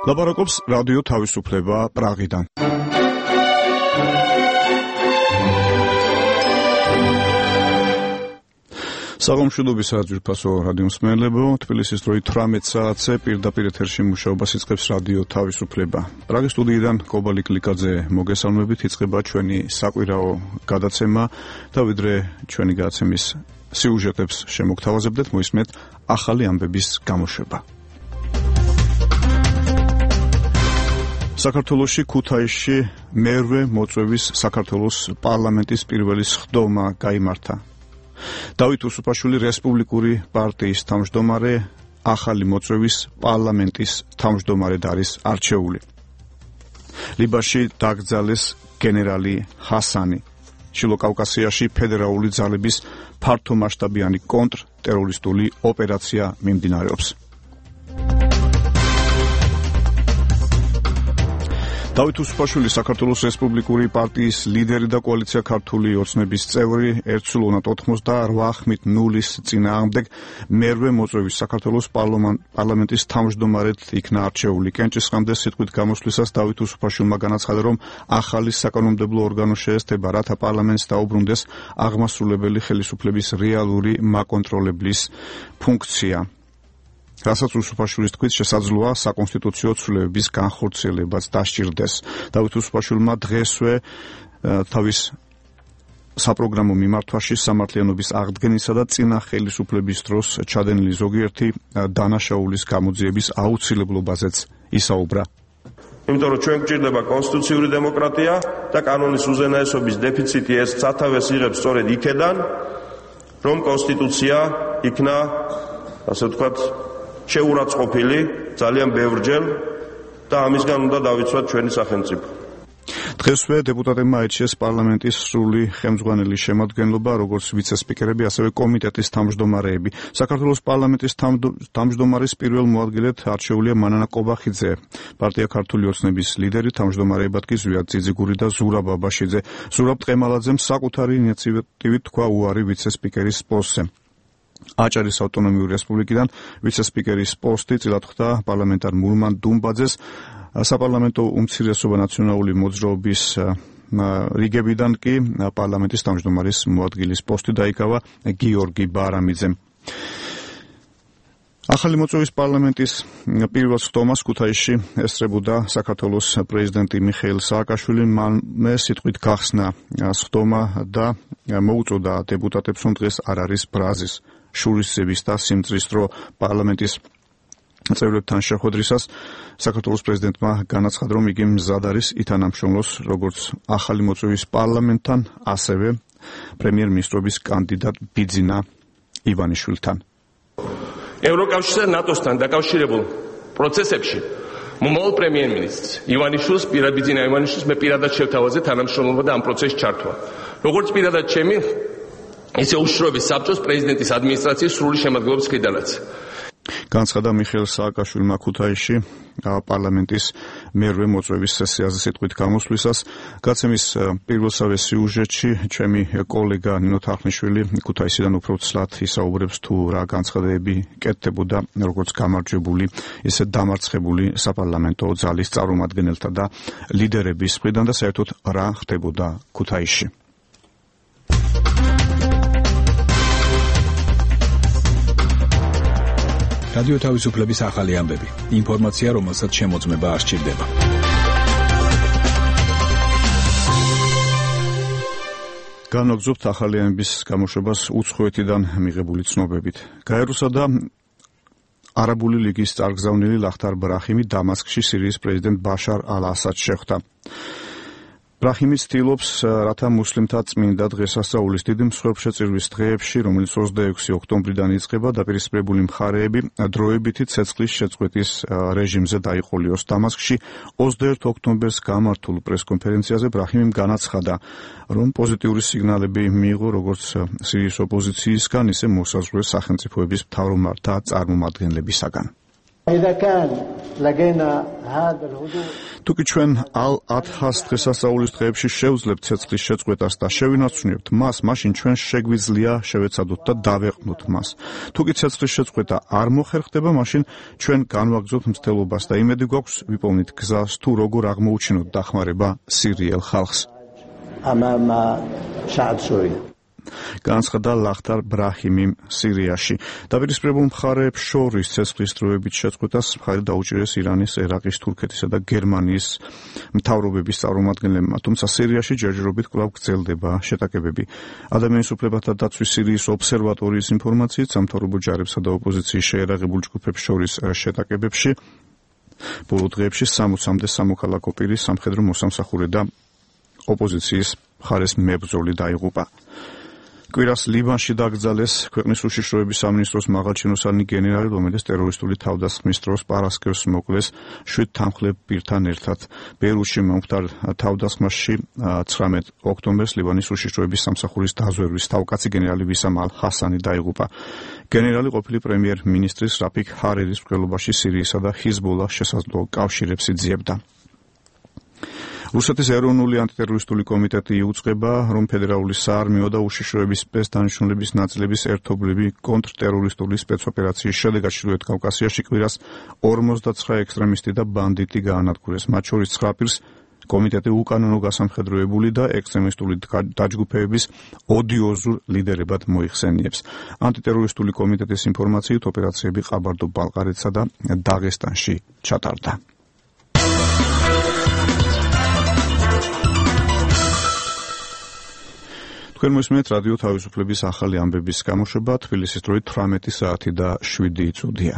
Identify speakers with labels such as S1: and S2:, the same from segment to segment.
S1: ლაპარაკობს რადიო თავისუფლება პრაღიდან. საღამოშუდობის საძირფასო რადიო მსმენელებო, თბილისის დროით 18 საათზე პირდაპირ ეთერში მუშაობას იწყებს რადიო თავისუფლება. პრაღის სტუდიიდან კობალი კლიკაძე მოგესალმებით, იწყება ჩვენი საკვირაო გადაცემა და ვიდრე ჩვენი გადაცემის სიუჟეტებს შემოგთავაზებდეთ, მოისმენთ ახალი ამბების გამოშვება. საქართველოში ქუთაისში მერვე მოწვევის საქართველოს პარლამენტის პირველი სხდომა გაიმართა. დავით უსუფაშვილი რესპუბლიკური პარტიის თავმჯდომარე ახალი მოწვევის პარლამენტის თავმჯდომარედ არის არჩეული. ლიბანში დაკრძალეს გენერალი ჰასანი. შილო კავკასიაში ფედერალური ძალების ფართომასშტაბიანი კონტრტერორისტული ოპერაცია მიმდინარეობს. დავით უსუფაშვილი საქართველოს რესპუბლიკური პარტიის ლიდერი და კოალიცია ქართული ოცნების წევრი 188-0-ის წინააღმდეგ მერვე მოწვევის საქართველოს პარლამენტის თავმჯდომარედ იქნა არჩეული. კენჭისყამდეს სიტყვით გამოსვლისას დავით უსუფაშვილმა განაცხადა, რომ ახალი საკანონმდებლო ორგანო შეესწება, რათა პარლამენტს დაუბრუნდეს აღმასრულებელი ხელისუფლების რეალური მაკონტროლებლის ფუნქცია. რასაც უსუფაშვილის თქმით შესაძლოა საკონსტიტუციო ცვლილებების განხორციელებაც დასჭირდეს. დავით უსუფაშვილმა დღესვე თავის საპროგრამო მიმართვაში სამართლიანობის აღდგენისა და წინა ხელისუფლების დროს ჩადენილი ზოგიერთი დანაშაულის გამოძიების აუცილებლობაზეც ისაუბრა.
S2: იმიტომ რომ ჩვენ გვჭირდება კონსტიტუციური დემოკრატია და კანონის უზენაესობის დეფიციტი ეს სათავეს იღებს სწორედ იქედან, რომ კონსტიტუცია იქნა, ასე ვთქვათ, შეურაცხყოფილი ძალიან ბევრჯერ და ამისგან უნდა დავიცვათ ჩვენი სახელმწიფო.
S1: დღესვე დეპუტატებმა აირჩიეს პარლამენტის სრული ხელმძღვანელი შემადგენლობა, როგორც ვიცე-სპიკერები, ასევე კომიტეტის თავმჯდომარეები. საქართველოს პარლამენტის თავმჯდომარის პირველ მოადგილედ არჩეულია მანანა კობახიძე. პარტია ქართული ოცნების ლიდერი, თავმჯდომარეებად კი ზვიად ძიძიგური და ზურაბ აბაშიძე. ზურაბ ტყემალაძემ საკუთარი ინიციატივით თქვა უარი ვიცე-სპიკერის პოსტზე. აჭარის ავტონომიური რესპუბლიკიდან ვიცე-სპიკერის პოსტი წილად ხვდა პარლამენტარ მურმან დუმბაძეს. საპარლამენტო უმცირესობა ნაციონალური მოძრაობის რიგებიდან კი პარლამენტის თავმჯდომარის მოადგილის პოსტი დაიკავა გიორგი ბარამიძემ. ახალი მოწვევის პარლამენტის პირველ სხდომას ქუთაისში ესწრებოდა საქართველოს პრეზიდენტი მიხეილ სააკაშვილი. მანვე სიტყვით გახსნა სხდომა და მოუწოდა დეპუტატებს, რომ დღეს არ არის ბრაზის, შურისძიების და სიმწრის დრო. პარლამენტის წევრებთან შეხვედრისას საქართველოს პრეზიდენტმა განაცხადა, რომ იგი მზად არის ითანამშრომლოს როგორც ახალი მოწვევის პარლამენტთან, ასევე პრემიერ-მინისტრობის კანდიდატ ბიძინა ივანიშვილთან.
S3: ევროკავშირსა და ნატოსთან დაკავშირებულ პროცესებში მომავალ პრემიერ-მინისტრს ივანიშვილს, ბიძინა ივანიშვილს მე პირადად შევთავაზე თანამშრომლობა და ამ პროცესში ჩართვა. როგორც პირადად ჩემი, ისე უშუალოდ საბჭოს პრეზიდენტის ადმინისტრაციის სრული შემადგენლობის მხრიდანაც.
S1: განცხადა მიხეილ სააკაშვილმა ქუთაისში პარლამენტის მერვე მოწვევის სესიაზე სიტყვით გამოსვლისას. გაცემის პირველსავე სიუჟეტში ჩემი კოლეგა ნინო თახნიშვილი ქუთაისიდან უფრო ცლად ისაუბრებს თუ რა განცხადებები კეთდებოდა როგორც გამარჯვებული, ისე დამარცხებული საპარლამენტო ძალის წარმომადგენელთა და ლიდერების მხრიდან და საერთოდ რა ხდებოდა ქუთაისში.
S4: რადიო თავისუფლების ახალი ამბები. ინფორმაცია, რომელსაც შემოწმება არ სჭირდება.
S1: განვაგრძობთ ახალი ამბების გამოშვებას უცხოეთიდან მიღებული ცნობებით. გაეროსა და არაბული ლიგის წარგზავნილი ლახტარ ბრაჰიმი დამასკში სირიის პრეზიდენტ ბაშარ ალ-ასადს შეხვდა. ბრაჰიმი ცდილობს, რათა მუსლიმთა წმინდა დღესასწაულის დიდი მსხვერპლშეწირვის დღეებში, რომელიც 26 ოქტომბრიდან იწყება, დაპირისპირებული მხარეები დროებითი ცეცხლის შეწყვეტის რეჟიმზე დაიყოლიოს. დამასკში 21 ოქტომბერს გამართულ პრესკონფერენციაზე ბრაჰიმიმ განაცხადა, რომ პოზიტიური სიგნალები მიიღო როგორც სირიის ოპოზიციისგან, ისე მოსაზღვრე სახელმწიფოების მთავრობათა წარმომადგენლებისაგან. თუკი ჩვენ ალ-ადჰას დღესასწაულის დღეებში შევძლებთ ცეცხლის შეწყვეტას და შევინარჩუნებთ მას, მაშინ ჩვენ შეგვიძლია შევეცადოთ და დავეყნოთ მას. თუკი ცეცხლის შეწყვეტა არ მოხერხდება, მაშინ ჩვენ განვაგრძობთ მცდელობას და იმედი გვაქვს ვიპოვნით გზას თუ როგორ აღმოუჩინოთ დახმარება სირიელ ხალხს. განცხადა ლახტარ ბრაჰიმი სირიაში. დაპირისპირებულ მხარეებს შორის ცეცხლის დროებით შეწყვეტას მხარი დაუჭირეს ირანის, ერაყის, თურქეთისა და გერმანიის მთავრობების წარმომადგენლებმა, თუმცა სირიაში ჯერჯერობით კვლავ გრძელდება შეტაკებები. ადამიანის უფლებათა დაცვის სირიის ობსერვატორიის ინფორმაციით, სამთავრობო ჯარებსა და ოპოზიციის შეერაღებულ ჯგუფებს შორის შეტაკებებში ბოლო დღეებში 60-მდე სამოქალაქო პირი, სამხედრო მოსამსახურე და ოპოზიციის მხარეს მებრძოლი დაიღუპა. კვირას ლიბანში დაკრძალეს ქვეყნის უშიშროების სამინისტროს მაღალჩინოსანი გენერალი, რომელიც ტერორისტული თავდასხმის დროს პარასკევს მოკლეს 7 თანმხლებ პირთან ერთად. ბეირუთში მომხდარ თავდასხმაში 19 ოქტომბერს ლიბანის უშიშროების სამსახურის დაზვერვის თავკაცი გენერალი ვისამ ალ-ჰასანი დაიღუპა. გენერალი ყოფილი პრემიერ-მინისტრის რაფიქ ჰარერის მკვლელობაში სირიისა და ჰიზბოლას შესაძლო კავშირებს იძიებდა. რუსეთის ეროვნული ანტიტერორისტული კომიტეტი იუწყება, რომ ფედერალური საარმიო და უშიშროების სპეცდანიშნულების ნაწილების ერთობლივი კონტრტერორისტული სპეცოპერაციის შედეგად ჩრდილოეთ კავკასიაში კვირას 59 ექსტრემისტი და ბანდიტი გაანადგურეს. მათ შორის 9 პირს კომიტეტი უკანონო გასამხედროებული და ექსტრემისტული დაჯგუფებების ოდიოზურ ლიდერებად მოიხსენიებს. ანტიტერორისტული კომიტეტის ინფორმაციით ოპერაციები ყაბარდო-ბალყარეთსა და დაღესტანში ჩატარდა. თქვენ მოსმენთ რადიო თავისუფლების ახალი ამბების გამოშვება, თბილისის დროით 18 საათი და 7 წუთია.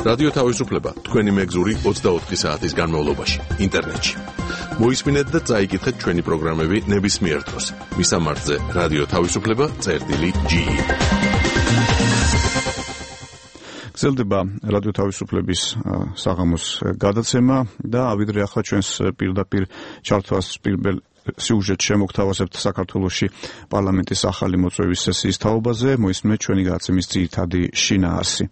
S5: რადიო თავისუფლება თქვენი მეგზური 24 საათის განმავლობაში ინტერნეტში. მოისმინეთ და წაიკითხეთ ჩვენი პროგრამები ნებისმიერ დროს. მისამართზე რადიო თავისუფლება.ge. გრძელდება რადიო თავისუფლების საღამოს გადაცემა და ავიდრე ახლა ჩვენს პირდაპირ ჩართვას პირველ სიუჟეტ შემოგთავაზებთ საქართველოში პარლამენტის ახალი მოწვევის სესიის თაობაზე. მოისმენთ ჩვენი გადაცემის ძირითადი შინაარსი.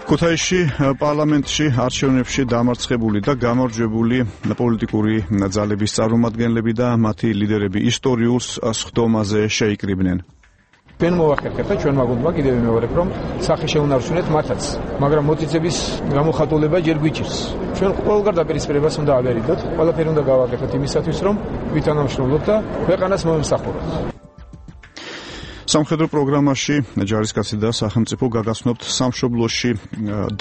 S5: ქუთაისში პარლამენტში არჩევნებში დამარცხებული და გამარჯვებული პოლიტიკური ძალების წარმომადგენლები და მათი ლიდერები ისტორიულ სხდომაზე შეიკრიბნენ.
S4: ჩვენ მოვახერხეთ და ჩვენ მაგუნდმა კიდევ ვიმეორებ, რომ სახე შეუნარჩუნეთ მათაც, მაგრამ მოტიცების გამოხატულება ჯერ გვიჭირს. ჩვენ ყველგან დაპირისპირებას უნდა ავერიდოთ, ყველაფერი უნდა გავაკეთოთ იმისათვის, რომ ვითანამშრომლოთ და ქვეყანას მომსახუროთ.
S1: სამხედრო პროგრამაში ჯარისკაცი და სახელმწიფო გაგაცნობთ სამშობლოში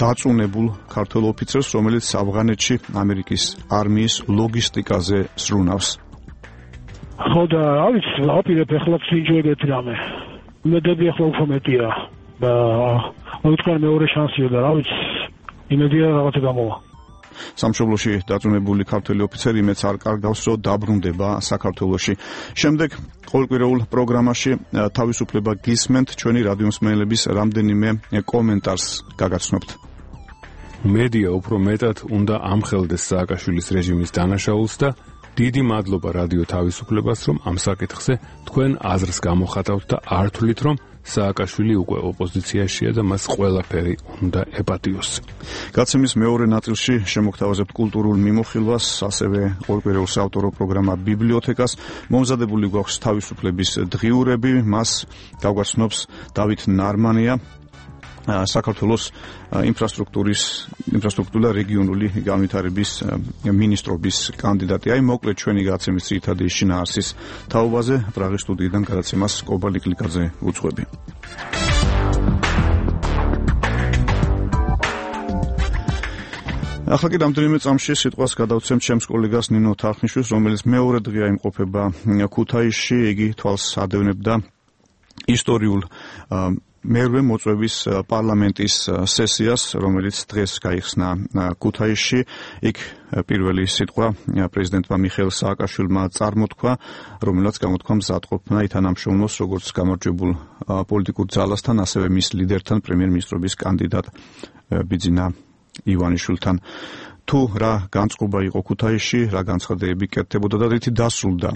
S1: დაწუნებულ ქართველ ოფიცერს, რომელიც ავღანეთში ამერიკის არმიის ლოგისტიკაზე სრულნავს.
S6: ხო და არის აპირებ ახლა ვინჯოებთ რამე. იმედები ახლა უფრო მეტია და მოიწყარ მეორე შანსია და რა ვიცი იმედია რაღაცა გამოვა.
S1: სამშობლოში დაწუნებული ქართველი ოფიცერი იმედს არ კარგავს, რომ დაბრუნდება საქართველოში. შემდეგ ყოველკვირეულ პროგრამაში თავისუფლება გისმენთ, ჩვენი რადიომსმენელების რამდენიმე კომენტარს გაგაცნობთ.
S7: მედია უფრო მეტად უნდა ამხელდეს სააკაშვილის რეჟიმის დანაშაულს და დიდი მადლობა რადიო თავისუფლებას, რომ ამ საკითხზე თქვენ აზრს გამოხატავთ და არ თვლით, რომ სააკაშვილი უკვე ოპოზიციაშია და მას ყველაფერი უნდა ეპატიოს.
S1: გაცემის მეორე ნაწილში შემოგთავაზებთ კულტურულ მიმოხილვას, ასევე ყოველკვირეულ საავტორო პროგრამა ბიბლიოთეკას. მომზადებული გვაქვს თავისუფლების დღიურები, მას გავგაცნობს დავით ნარმანია, საქართველოს ინფრასტრუქტურული რეგიონული განვითარების მინისტრობის კანდიდატი. აი მოკლედ ჩვენი გაცემის ძირითადი შინაარსის თაობაზე პრაღის სტუდიიდან გადაცემას კობა ლიკლიკაძე უძღვები. ახლა კი რამდენიმე წამში სიტყვას გადავცემ ჩემს კოლეგას ნინო თარხნიშვილს, რომელიც მეორე დღეა იმყოფება ქუთაისში. იგი თვალს ადევნებდა ისტორიულ მერვე მოწვევის პარლამენტის სესიას, რომელიც დღეს გაიხსნა ქუთაისში. იქ პირველი სიტყვა პრეზიდენტმა მიხეილ სააკაშვილმა წარმოთქვა, რომელსაც გამოთქვა მზადყოფნა ითანამშრომლოს როგორც გამარჯვებულ პოლიტიკურ ძალასთან, ასევე მის ლიდერთან, პრემიერ-მინისტრობის კანდიდატ ბიძინა ივანიშვილთან. თუ რა განწყობა იყო ქუთაისში, რა განცხადებები კეთდებოდა და რითი დასრულდა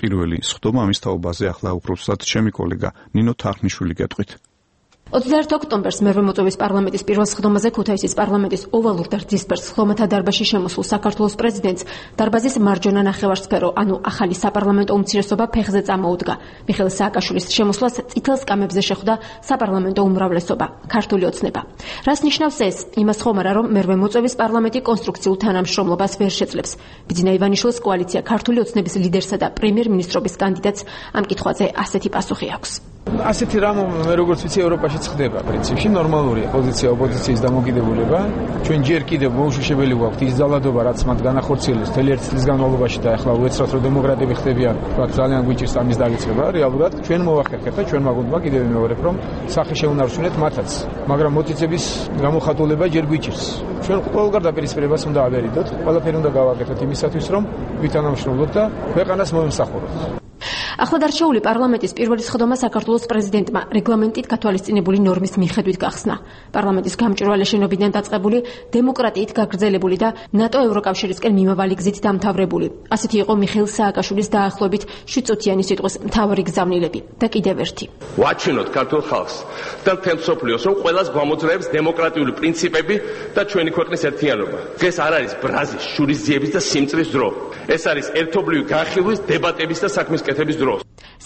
S1: პირველი სხდომა, ამის თაობაზე ახლა უბრალოდ ჩემი კოლეგა ნინო თარხნიშვილი გეტყვით.
S8: 21 ოქტომბერს მერვე მოწვევის პარლამენტის პირველ სხდომაზე ქუთაისის პარლამენტის ოვალურ და რძისფერ სხდომათა დარბაზში შემოსულ საქართველოს პრეზიდენტს დარბაზის მარჯვენა ნახევარსფერო, ანუ ახალი საპარლამენტო უმცირესობა ფეხზე წამოუდგა. მიხეილ სააკაშვილის შემოსვლას წითელ სკამებზე შეხვდა საპარლამენტო უმრავლესობა, ქართული ოცნება. რას ნიშნავს ეს? იმას ხომარა, რომ მერვე მოწვევის პარლამენტი კონსტრუქციულ თანამშრომლობას ვერ შეძლებს. ბიძინა ივანიშვილის კოალიცია ქართული ოცნების ლიდერსა და პრემიერ-მინისტრობის კანდიდატს ამ კითხვაზე ასეთი პასუხი აქვს.
S4: ასეთი რამ მე როგორც ვიცი ევროპაშიც ხდება პრინციპში ნორმალურია პოზიცია ოპოზიციის დამოკიდებულება ჩვენ ჯერ კიდევ მოუშვებელი გვაქვს ის ძალადობა რაც მათ განახორციელეს მთელი ერთი წლის განმავლობაში და ახლა უეცრად რომ დემოკრატები ხდებიან რაც ძალიან გვიჭირს ამის დაგიწყება რეალურად ჩვენ მოვახერხეთ და ჩვენ მაგონდა კიდევ მეორებ რომ სახე შეუნარჩუნეთ მათაც მაგრამ მოტიცების გამოხატულება ჯერ გვიჭირს ჩვენ ყველგან დაპირისპირებას უნდა ავერიდოთ ყველაფერი უნდა გავაკეთოთ იმისათვის რომ ვითანამშრომლოთ და ქვეყანას მოემსახუროთ.
S8: ახლადარჩეული პარლამენტის პირველი სხდომა საქართველოს პრეზიდენტმა რეგლამენტით გათვალისწინებული ნორმის მიხედვით გახსნა. პარლამენტის გამჭვირვალე შენობიდან დაწყებული დემოკრატიით გაგრძელებული და ნატო ევროკავშირისკენ მიმავალი გზით დამთავრებული. ასეთი იყო მიხეილ სააკაშვილის დაახლოებით 7 წუთიანი სიტყვის მთავარი გზავნილები და კიდევ ერთი.
S3: ვაჩინოთ ქართულ ხალხს და მთელ მსოფლიოს, რომ ყველას გვამოძრავებს დემოკრატიული პრინციპები და ჩვენი ქვეყნის ერთიანობა. დღეს არ არის ბრაზის, შურისძიების და სიმწრის დრო. ეს არის ერთობლივი განხილვის, დებატების და საქმის კეთების დრო.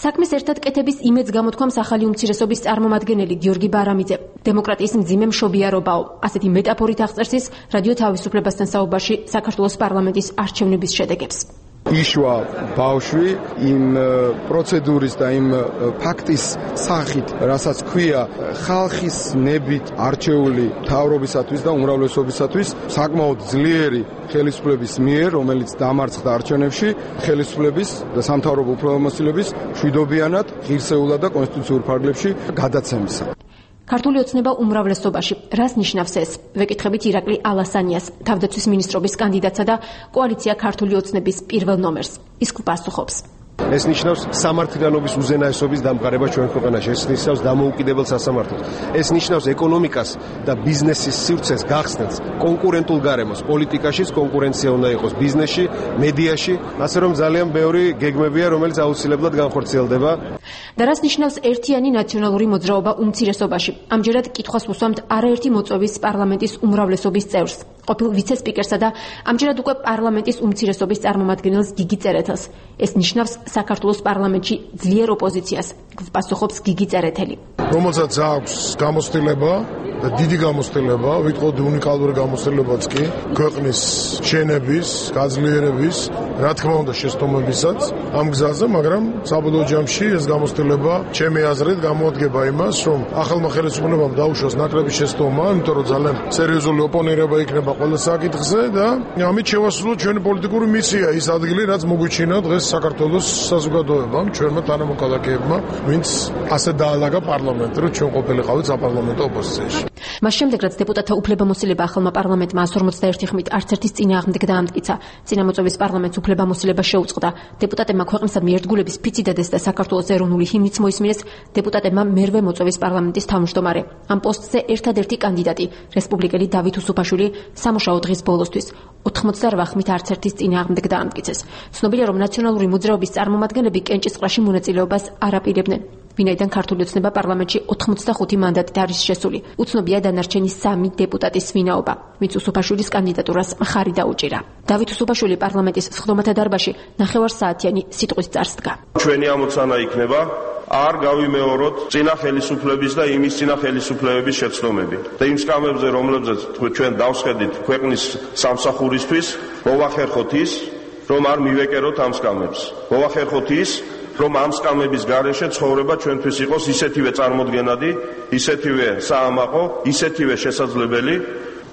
S8: საქმის ერთად კეთების იმედს გამოთქვამს ახალი უმცირესობის წარმომადგენელი გიორგი ბარამიძე. დემოკრატიის მძიმე მშობიარობაო, ასეთი მეტაფორით აღწერს ის რადიო თავისუფლებასთან საუბარში საქართველოს პარლამენტის არჩევნების შედეგებს.
S9: იშვა ბავშვი იმ პროცედურის და იმ ფაქტის სახით, რასაც ქვია ხალხის ნებით არჩეული მთავრობისათვის და უმრავლესობისათვის საკმაოდ ძლიერი ხელისუფლების მიერ, რომელიც დამარცხდა არჩევნებში, ხელისუფლების და სამთავრობო უფლებამოსილების მშვიდობიანად, ღირსეულად და კონსტიტუციურ ფარგლებში გადაცემისა.
S8: ქართული ოცნება უმრავლესობაში. რას ნიშნავს ეს? ვეკითხებით ირაკლი ალასანიას, თავდაცვის მინისტრობის კანდიდატსა და კოალიცია ქართული ოცნების პირველ ნომერს. ის გვპასუხობს.
S10: ეს ნიშნავს სამართლიანობის უზენაესობის დამყარება ჩვენ ქვეყანაში. ეს ნიშნავს დამოუკიდებელ სასამართლოს. ეს ნიშნავს ეკონომიკას და ბიზნესის სივრცეს გახსნას კონკურენტულ გარემოს. პოლიტიკაშიც კონკურენცია უნდა იყოს ბიზნესში, მედიაში, ასე რომ ძალიან ბევრი გეგმებია, რომელიც აუცილებლად განხორციელდება.
S8: და რას ნიშნავს ერთიანი ნაციონალური მოძრაობა უმცირესობაში? ამჯერად კითხვას უსვამთ არაერთი მოწვევის პარლამენტის უმრავლესობის წევრს, ყოფილ ვიცე-სპიკერსა და ამჯერად უკვე პარლამენტის უმცირესობის წარმომადგენელს გიგი წერეთელს. ეს ნიშნავს საქართველოს პარლამენტში ძლიერ ოპოზიციას, გვპასუხობს გიგი წერეთელი.
S11: რომელსაც აქვს გამოცდილება და დიდი გამოცდილება, ვიტყოდი უნიკალური გამოცდილებაც კი, ქვეყნის შენების, გაძლიერების, რა თქმა უნდა შეცდომებისაც ამ გზაზე, მაგრამ საბოლოო ჯამში ეს გამოცდილება ჩემი აზრით გამოადგება იმას, რომ ახალმა ხელისუფლებამ დაუშვას ნაკლები შეცდომა, იმიტომ რომ ძალიან სერიოზული ოპონირება იქნება ყველა საკითხზე და ამით შევასრულოთ ჩვენი პოლიტიკური მისია, ის ადგილი, რაც მოგვიჩინა დღეს საქართველოს საზოგადოებამ, ჩვენმა თანამოქალაქეებმა, ვინც ასე დაალაგა პარლამენტი, რომ ჩვენ ყოფილიყავით საპარლამენტო ოპოზიციაში.
S8: მას შემდეგ, რაც დეპუტატთა უფლებამოსილება ახალმა პარლამენტმა 151 ხმით არც ერთის წინააღმდეგ დაამტკიცა, წინამოწვევის პარლამენტს უფლებამოსილება შეუწყდა. დეპუტატებმა ქვეყნისადმი ერთგულების ფიცი დადეს და საქართველოს ეროვნული ჰიმნიც მოისმინეს. დეპუტატებმა მერვე მოწვევის პარლამენტის თავმჯდომარე. ამ პოსტზე ერთადერთი კანდიდატი, რესპუბლიკელი დავით უსუფაშვილი, სამუშაო დღის ბოლოსთვის 88 ხმით არც ერთის წინააღმდეგ დაამტკიცეს. ცნობილია, რომ ნაციონალური მოძრაობის წარმომადგენლები კენჭისყრაში მონაწილეობას არ აპირებდნენ. ვინაიდან ქართული ოცნება პარლამენტში 85 მანდატით არის შესული. უცნობია დანარჩენი 3 დეპუტატის ვინაობა, ვინც უსუფაშვილის კანდიდატურას მხარი დაუჭირა. დავით უსუფაშვილი პარლამენტის სხდომათა დარბაზში ნახევარსაათიანი სიტყვის წარს დგა.
S2: ჩვენი ამოცანა იქნება არ გავიმეოროთ წინა ხელისუფლების და იმის წინა ხელისუფლებების შეცდომები და იმ სკამებზე, რომლებზეც ჩვენ დავსხედით ქვეყნის სამსახურისთვის, მოვახერხოთ ის, რომ არ მივეკეროთ ამ სკამებს. მოვახერხოთ ის, რომ ამ სკამების გარეშე ცხოვრება ჩვენთვის იყოს ისეთივე წარმოდგენადი, ისეთივე საამაყო, ისეთივე შესაძლებელი,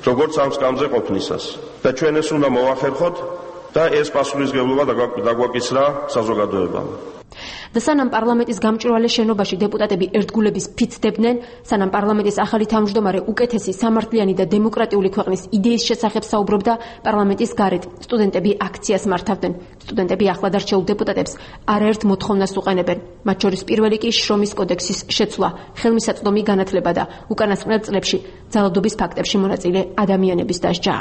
S2: როგორც ამ სკამზე ყოფნისას. და ჩვენ ეს უნდა მოვახერხოთ და ეს პასუხისმგებლობა დაგვაკისრა საზოგადოებამ.
S8: და სანამ პარლამენტის გამჭვირვალე შენობაში დეპუტატები ერთგულების ფიცდებდნენ, სანამ პარლამენტის ახალი თავმჯდომარე უკეთესი სამართლიანი და დემოკრატიული ქვეყნის იდეის შესახებ საუბრობდა, პარლამენტის გარეთ სტუდენტები აქციას მართავდნენ. სტუდენტები ახლადარჩეულ დეპუტატებს არაერთ მოთხოვნას უყენებენ. მათ შორის პირველი კი შრომის კოდექსის შეცვლა, ხელმისაწვდომი განათლება და უკანასკნელ წლებში ძალადობის ფაქტებში მონაწილე ადამიანების დასჯა.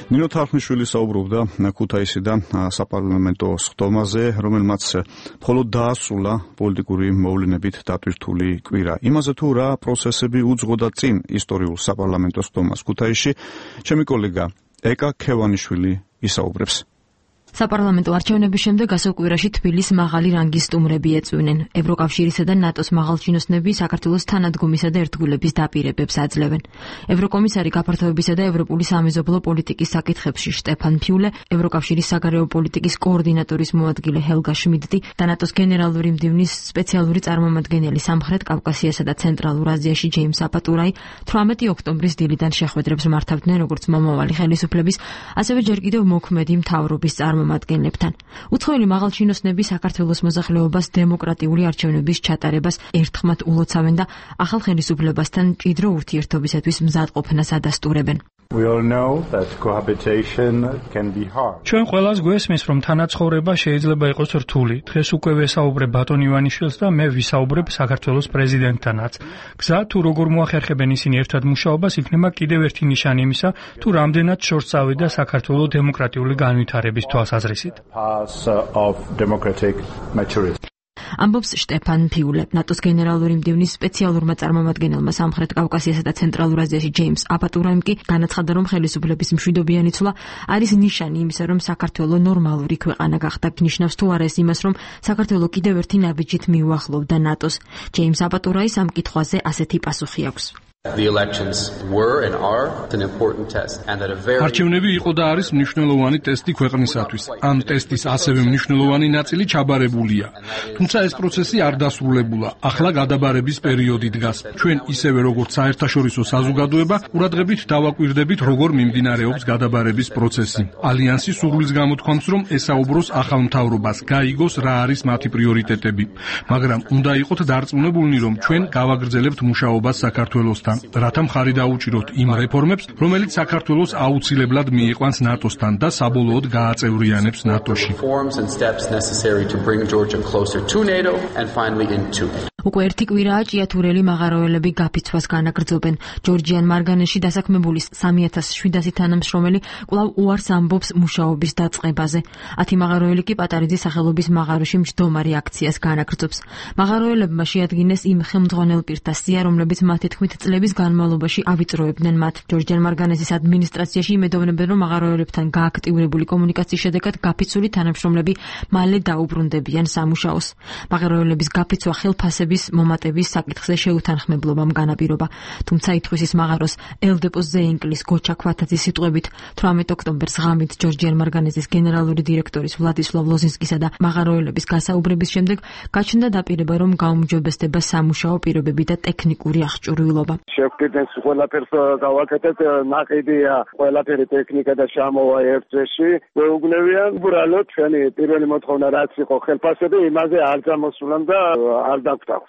S1: ნინო თარხნიშვილი საუბრობდა ქუთაისიდან საპარლამენტო სხდომაზე, რომელმაც მხოლოდ დაასრულა პოლიტიკური მოვლენებით დატვირთული კვირა. იმაზე თუ რა პროცესები უძღოდა წინ ისტორიულ საპარლამენტო სხდომას ქუთაისში, ჩემი კოლეგა ეკა ქევანიშვილი ისაუბრებს.
S8: საპარლამენტო არჩევნების შემდეგ ასევ კვირაში თბილისს მაღალი რანგის სტუმრები ეწვნენ. ევროკავშირისა და ნატოს მაღალჩინოსნები საქართველოს თანადგომისა და ერთგულების დაპირებებს აძლევენ. ევროკომისარი გაფართოებისა და ევროპული სამეზობლო პოლიტიკის საკითხებში შტეფან ფიულე, ევროკავშირის საგარეო პოლიტიკის კოორდინატორის მოადგილე ჰელგა შმიდტი და ნატოს გენერალური მდივნის სპეციალური წარმომადგენელი სამხრეთ კავკასიასა და ცენტრალურ აზიაში ჯეიმს აპატურაი 18 ოქტომბრის დილიდან შეხვედრებს მართავდნენ როგორც მომავალი ხელისუფლების, ასევე ჯერ კიდევ მოქმედი მთავრობის წარმომადგენლებთან. უცხოელი მაღალჩინოსნები საქართველოს მოსახლეობას დემოკრატიული არჩევნების ჩატარებას ერთხმად ულოცავენ და ახალ ხელისუფლებასთან მჭიდრო ურთიერთობისათვის მზადყოფნას ადასტურებენ.
S12: ჩვენ ყველას გვესმის, რომ თანაცხოვრება შეიძლება იყოს რთული. დღეს უკვე ვესაუბრებ ბატონ ივანიშვილს და მე ვისაუბრებ საქართველოს პრეზიდენტთანაც. გზა თუ როგორ მოახერხებენ ისინი ერთად მუშაობას, იქნება კიდევ ერთი ნიშანი იმისა, თუ რამდენად შორს წავიდა საქართველოს დემოკრატიული განვითარების თვალსაზრისით. ამბობს შტეფან ფიულე. ნატოს გენერალური მდივნის სპეციალურმა წარმომადგენელმა სამხრეთ კავკასიასა და ცენტრალურ აზიაში ჯეიმს აპატურაიმ კი განაცხადა, რომ ხელისუფლების მშვიდობიანი ცვლა არის ნიშანი იმისა, რომ საქართველო ნორმალური ქვეყანა გახდა. ნიშნავს თუ არა ეს იმას, რომ საქართველო კიდევ ერთი ნაბიჯით მიუახლოვდა ნატოს. ჯეიმს აპატურაის ამ კითხვაზე ასეთი პასუხი აქვს.
S13: არჩევნები იყო და არის მნიშვნელოვანი ტესტი ქვეყნისათვის. ამ ტესტის ასევე მნიშვნელოვანი ნაწილი ჩაბარებულია. თუმცა ეს პროცესი არ დასრულებულა. ახლა გადაბარების პერიოდი დგას. ჩვენ ისევე როგორც საერთაშორისო საზოგადოება ყურადღებით დავაკვირდებით, როგორ მიმდინარეობს გადაბარების პროცესი. ალიანსი სურვილს გამოთქვამს, რომ ესაუბროს ახალ მთავრობას, გაიგოს რა არის მათი პრიორიტეტები. მაგრამ უნდა იყოთ დარწმუნებულნი, რომ ჩვენ გავაგრძელებთ მუშაობას საქართველოსთან, რათა მხარი დაუჭიროთ იმ რეფორმებს, რომელიც საქართველოს აუცილებლად მიიყვანს ნატოსთან და საბოლოოდ გააწევრიანებს ნატოში.
S8: უკვე ერთი კვირაა ჭიათურელი მაღაროელები გაფიცვას განაგრძობენ. ჯორჯიან მარგანეში დასაქმებული 3700 თანამშრომელი კვლავ უარს ამბობს მუშაობის დაწყებაზე. 10 მაღაროელი კი პატარიძის სახელობის მაღაროში მჯდომარი აქციას განაგრძობს. მაღაროელებმა შეადგინეს იმ ხელმძღვანელ პირთა სია, რომლებიც მათი თქმით წლების განმავლობაში ავიწროებდნენ მათ. ჯორჯიან მარგანესის ადმინისტრაციაში იმედოვნებენ, რომ მაღაროელებთან გააქტიურებული კომუნიკაციის შედეგად გაფიცული თანამშრომლები მალე დაუბრუნდებიან სამუშაოს. მაღაროელების გაფიცვა ხელფასების მომატების საკითხზე შეუთანხმებლობამ განაპირობა. თუმცა ითხვისის მაღაროს ელდეპოს ზეინკლის გოჩა ქვათაძის სიტყვებით 18 ოქტომბერს ღამით ჯორჯიან მარგანესის გენერალური დირექტორის ვლადისლავ ლოზინსკისა და მაღაროელების გასაუბრების შემდეგ გაჩნდა დაპირება, რომ გაუმჯობესდება სამუშაო პირობები და ტექნიკური აღჭურვილობა.
S14: შევკიდეთ ყველაფერს გავაკეთეთ, ნაყიდია ყველაფერი ტექნიკა და შემოვა ერთ წესში. გვეუბნებიან, უბრალოდ ჩვენი პირველი მოთხოვნა რაც იყო ხელფასები, იმაზე არ გამოსულან და არ დაგვტახ.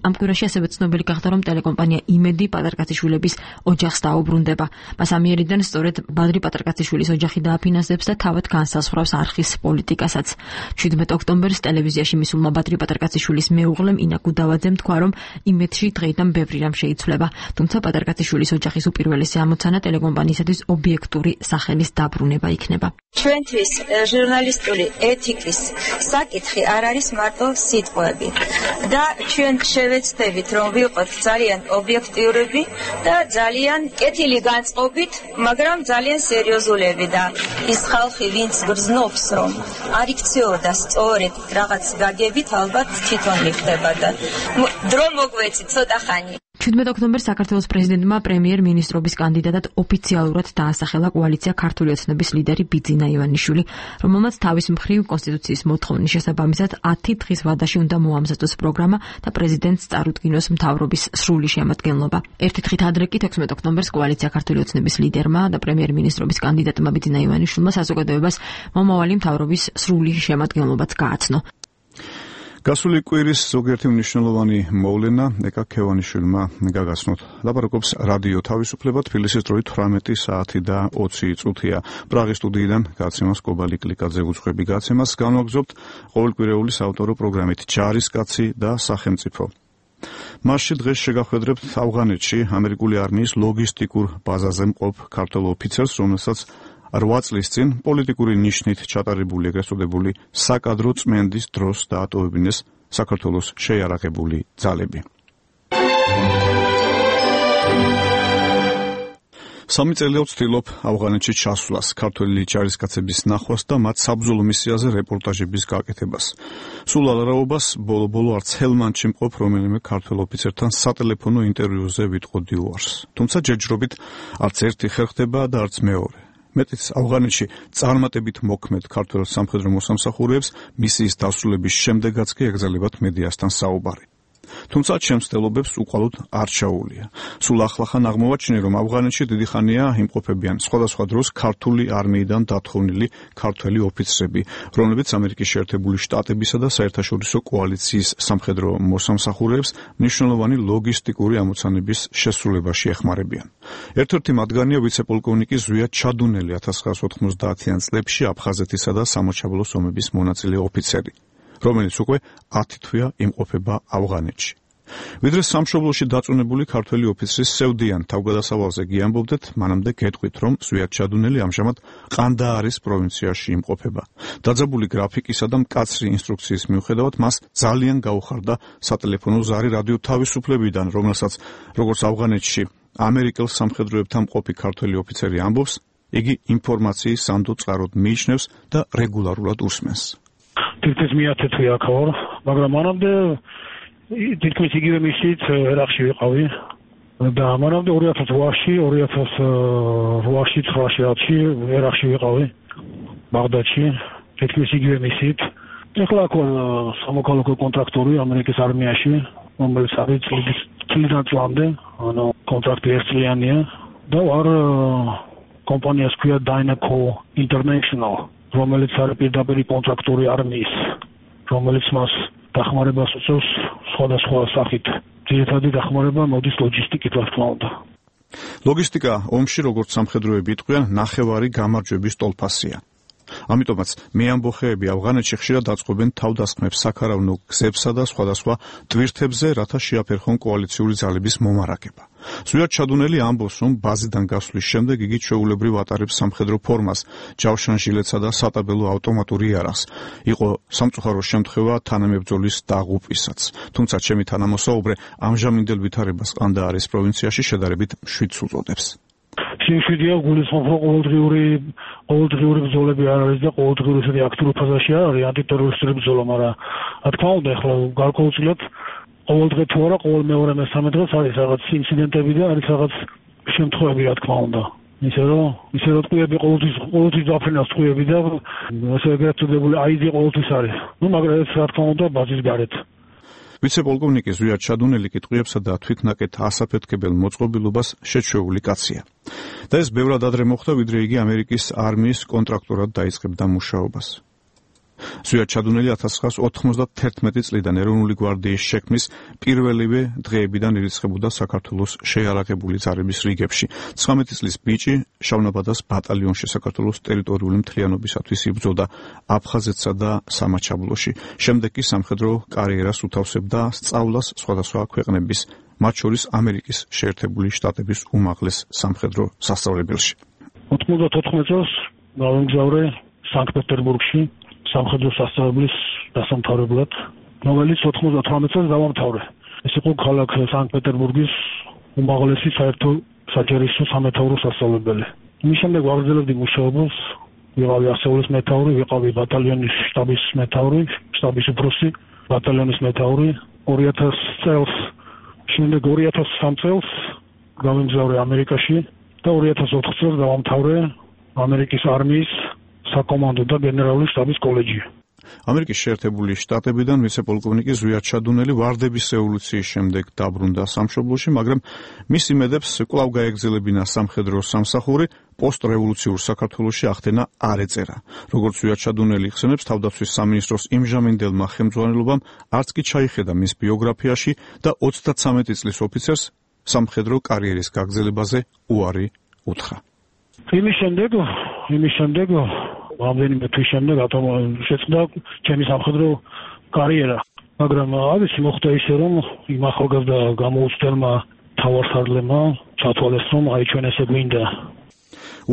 S8: ამ კვირაში ასევე ცნობილი გახდა, რომ ტელეკომპანია იმედი პატარკაციშვილების ოჯახს დაუბრუნდება. მას ამიერიდან სწორედ ბადრი პატარკაციშვილის ოჯახი დააფინანსებს და თავად განსაზღვრავს არხის პოლიტიკასაც. 17 ოქტომბერს ტელევიზიაში მისულმა ბადრი პატარკაციშვილის მეუღლემ ინა გუდავაძემ თქვა, რომ იმედში დღეიდან ბევრი რამ შეიცვლება. თუმცა პატარკაციშვილის ოჯახის უპირველესი ამოცანა ტელეკომპანიისათვის ობიექტური სახელის დაბრუნება იქნება.
S15: ჩვენთვის ჟურნალისტური ეთიკის საკითხი არ არის მარტო სიტყვები და ჩვენ შევეცდებით, რომ ვიყოთ ძალიან ობიექტიურები და ძალიან კეთილი განწყობით, მაგრამ ძალიან სერიოზულები და ის ხალხი, ვინც გრძნობს, რომ არ იქცეოდა სწორედ რაღაც გაგებით, ალბათ თვითონ მიხდება და დრო მოგვეცი ცოტა ხანი.
S8: 17 ოქტომბერს საქართველოს პრეზიდენტმა პრემიერ-მინისტრობის კანდიდატად ოფიციალურად დაასახელა კოალიცია ქართული ოცნების ლიდერი ბიძინა ივანიშვილი, რომელმაც თავის მხრივ კონსტიტუციის მოთხოვნის შესაბამისად 10 დღის ვადაში უნდა მოამზადოს პროგრამა და პრეზიდენტს წარუდგინოს მთავრობის სრული შემადგენლობა. ერთი დღით ადრე კი 16 ოქტომბერს კოალიცია ქართული ოცნების ლიდერმა და პრემიერ-მინისტრობის კანდიდატმა ბიძინა ივანიშვილმა საზოგადოებას მომავალი მთავრობის სრული შემადგენლობაც გააცნო.
S1: გასული კვირის ზოგიერთი მნიშვნელოვანი მოვლენა ეკა ქევანიშვილმა გაგაცნოთ. ლაპარაკობს რადიო თავისუფლება, თბილისის დროით 18 საათი და 20 წუთია. პრაღის სტუდიიდან გაცემას კობალი კლიკაძე უძღვები გაცემას განვაგრძობთ ყოველკვირეული საავტორო პროგრამით ჯარისკაცი და სახელმწიფო. მასში დღეს შეგახვედრებთ ავღანეთში ამერიკული არმიის ლოგისტიკურ ბაზაზე მყოფ ქართველ ოფიცერს, რომელსაც 8 წლის წინ პოლიტიკური ნიშნით ჩატარებული ეგრეთ წოდებული საკადრო წმენდის დროს დაატოვებინეს საქართველოს შეიარაღებული ძალები. 3 წელია ვცდილობ ავღანეთში ჩასვლას, ქართველი ჯარისკაცების ნახვას და მათ საბრძოლო მისიაზე რეპორტაჟების გაკეთებას. სულ ალარაობას ბოლო-ბოლო არც ჰელმანდში მყოფ რომელიმე ქართველ ოფიცერთან სატელეფონო ინტერვიუზე ვიტყოდი უარს. თუმცა ჯერჯერობით არც ერთი ხერ ხდება და არც მეორე. მეტიც ავღანეთში წარმატებით მოქმედ ქართველ სამხედრო მოსამსახურეებს მისიის დასრულების შემდეგაც კი ეკრძალებათ მედიასთან საუბარი. თუმცა ჩემს ცდილობებს უყალოდ არ ჩაუვლია. სულ ახლახან აღმოვაჩინე, რომ ავღანეთში დიდი ხანია იმყოფებიან სხვადასხვა დროს ქართული არმიიდან დათხოვნილი ქართველი ოფიცრები, რომლებიც ამერიკის შეერთებული შტატებისა და საერთაშორისო კოალიციის სამხედრო მოსამსახურეებს მნიშვნელოვანი ლოგისტიკური ამოცანების შესრულებაში ეხმარებიან. ერთ-ერთი მათგანია ვიცე-პოლკოვნიკი ზვია ჩადუნელი 1990-იან წლებში აფხაზეთისა და სამოჩაბლოს ომების მონაწილე ოფიცერი, რომელიც უკვე 10 თვეა იმყოფება ავღანეთში. ვიდრე სამშობლოში დაწუნებული ქართველი ოფიცრის სევდიან თავგადასავალზე გიამბობდეთ, მანამდე გეტყვით, რომ ზვია ჩადუნელი ამჟამად ყანდაარის პროვინციაში იმყოფება. დაძაბული გრაფიკისა და მკაცრი ინსტრუქციის მიუხედავად, მას ძალიან გაუხარდა სატელეფონო ზარი რადიო თავისუფლებიდან, რომელსაც როგორც ავღანეთში ამერიკელ სამხედროებთან მყოფი ქართველი ოფიცერი ამბობს, იგი ინფორმაციის სანდო წყაროდ მიიჩნევს და რეგულარულად უსმენს.
S6: თითქმის მეათე თვე აქ ვარ, მაგრამ მანამდე თითქმის იგივე მისით ერაყში ვიყავი და მანამდე 2008-ში, 2008-ში, 9-ში ერაყში ვიყავი, ბაღდადში, თითქმის იგივე მისით. ეხლა აქ ვარ სამოქალაქო კონტრაქტორი ამერიკის არმიაში, რომელიც არის წლიდან წლამდე, ანუ კონტრაქტი ერთწლიანია და ვარ კომპანიას ქვია Dynaco International, რომელიც არის პირდაპირი კონტრაქტორი არმიის, რომელიც მას დახმარებას უწევს სხვადასხვა სახით. ძირითადი დახმარება მოდის ლოჯისტიკით, რა თქმა უნდა.
S1: ლოგისტიკა ომში, როგორც სამხედროები იტყვიან, ნახევარი გამარჯვების ტოლფასია. ამიტომაც მეამბოხეები ავღანეთში ხშირად აწყობენ თავდასხმებს საქარავნო გზებსა და სხვადასხვა ტვირთებზე, რათა შეაფერხონ კოალიციური ძალების მომარაგება. ზვია ჩადუნელი ამბობს, რომ ბაზიდან გასვლის შემდეგ იგი ჩვეულებრივ ატარებს სამხედრო ფორმას, ჯავშან ჟილეტსა და სატაბელო ავტომატური იარაღს. იყო სამწუხარო შემთხვევა თანამებრძოლის დაღუპვისაც. თუმცა ჩემი თანამოსაუბრე ამჟამინდელ ვითარებას ყანდაარის პროვინციაში შედარებით მშვიდს უწოდებს.
S6: შეშვიდია გულისხმობა ყოველდღიური ბრძოლები არ არის და ყოველდღიური ისეთი აქტიური ფაზაში არ არის ანტიტერორისტული ბრძოლა, მაგრამ რა თქმა უნდა ახლა გარკვეულწილად ყოველ დღე თუ არა, ყოველ მეორე მესამე დღეს არის რაღაც ინციდენტები და არის რაღაც შემთხვევები, რა თქმა უნდა. ისე რომ ტყუები ყოველთვის დაფრენას ტყუები და ასე ეგრეთ წოდებული აიძი ყოველთვის არის. მაგრამ ეს რა თქმა უნდა ბაზის გარეთ.
S1: ვიცე-პოლკოვნიკი ზვია ჩადუნელი კიტყვიებსა და თვითნაკეთ ასაფეთქებელ მოწყობილობას შეჩვეული კაცია. და ეს ბევრად ადრე მოხდა, ვიდრე იგი ამერიკის არმიის კონტრაქტორად დაიწყებდა მუშაობას. ზვია ჩადუნელი 1991 წლიდან ეროვნული გვარდიის შექმნის პირველივე დღეებიდან ირიცხებოდა საქართველოს შეიარაღებული ძალების რიგებში. 19 წლის ბიჭი შავნაბადას ბატალიონში საქართველოს ტერიტორიული მთლიანობისათვის იბრძოდა აფხაზეთსა და სამაჩაბლოში. შემდეგ კი სამხედრო კარიერას უთავსებდა სწავლას სხვადასხვა ქვეყნების, მათ შორის ამერიკის შეერთებული შტატების უმაღლეს სამხედრო სასწავლებელში.
S6: 94 წელს გავემგზავრე სანქტ-პეტერბურგში სამხედრო სასწავლებლის დასამთავრებლად, რომელიც 98 წელს დავამთავრე. ეს იყო ქალაქ სანქტ-პეტერბურგის უმაღლესი საერთო საჯარისო სამეთაურო სასწავლებელი. მის შემდეგ ვაგრძელებდი მუშაობას, ვიყავი ასეულის მეთაური, ვიყავი ბატალიონის შტაბის მეთაური, შტაბის უფროსი, ბატალიონის მეთაური. 2000 წელს, შემდეგ 2003 წელს გავემგზავრე ამერიკაში და 2004 წელს დავამთავრე ამერიკის არმიის საკომანდო და გენერალური შტაბის კოლეჯი.
S1: ამერიკის შეერთებული შტატებიდან ვიცე-პოლკოვნიკი ზვია ჩადუნელი ვარდების რევოლუციის შემდეგ დაბრუნდა სამშობლოში, მაგრამ მის იმედებს კვლავ გაეგრძელებინა სამხედრო სამსახური, პოსტრევოლუციურ საქართველოში ახდენა არ ეწერა. როგორც ზვია ჩადუნელი იხსენებს, თავდაცვის სამინისტროს იმჟამინდელმა ხელმძღვანელობამ არც კი ჩაიხედა მის ბიოგრაფიაში და 33 წლის ოფიცერს სამხედრო კარიერის გაგრძელებაზე უარი უთხრა.
S6: იმის შემდეგ რამდენიმე თვის შემდეგ შეწყდა ჩემი სამხედრო კარიერა, მაგრამ არის მოხდა ისე, რომ იმ ახალგაზრდა გამოუცდელმა მთავარსარდლებმა ჩათვალეს, რომ აი ჩვენ ესე გვინდა.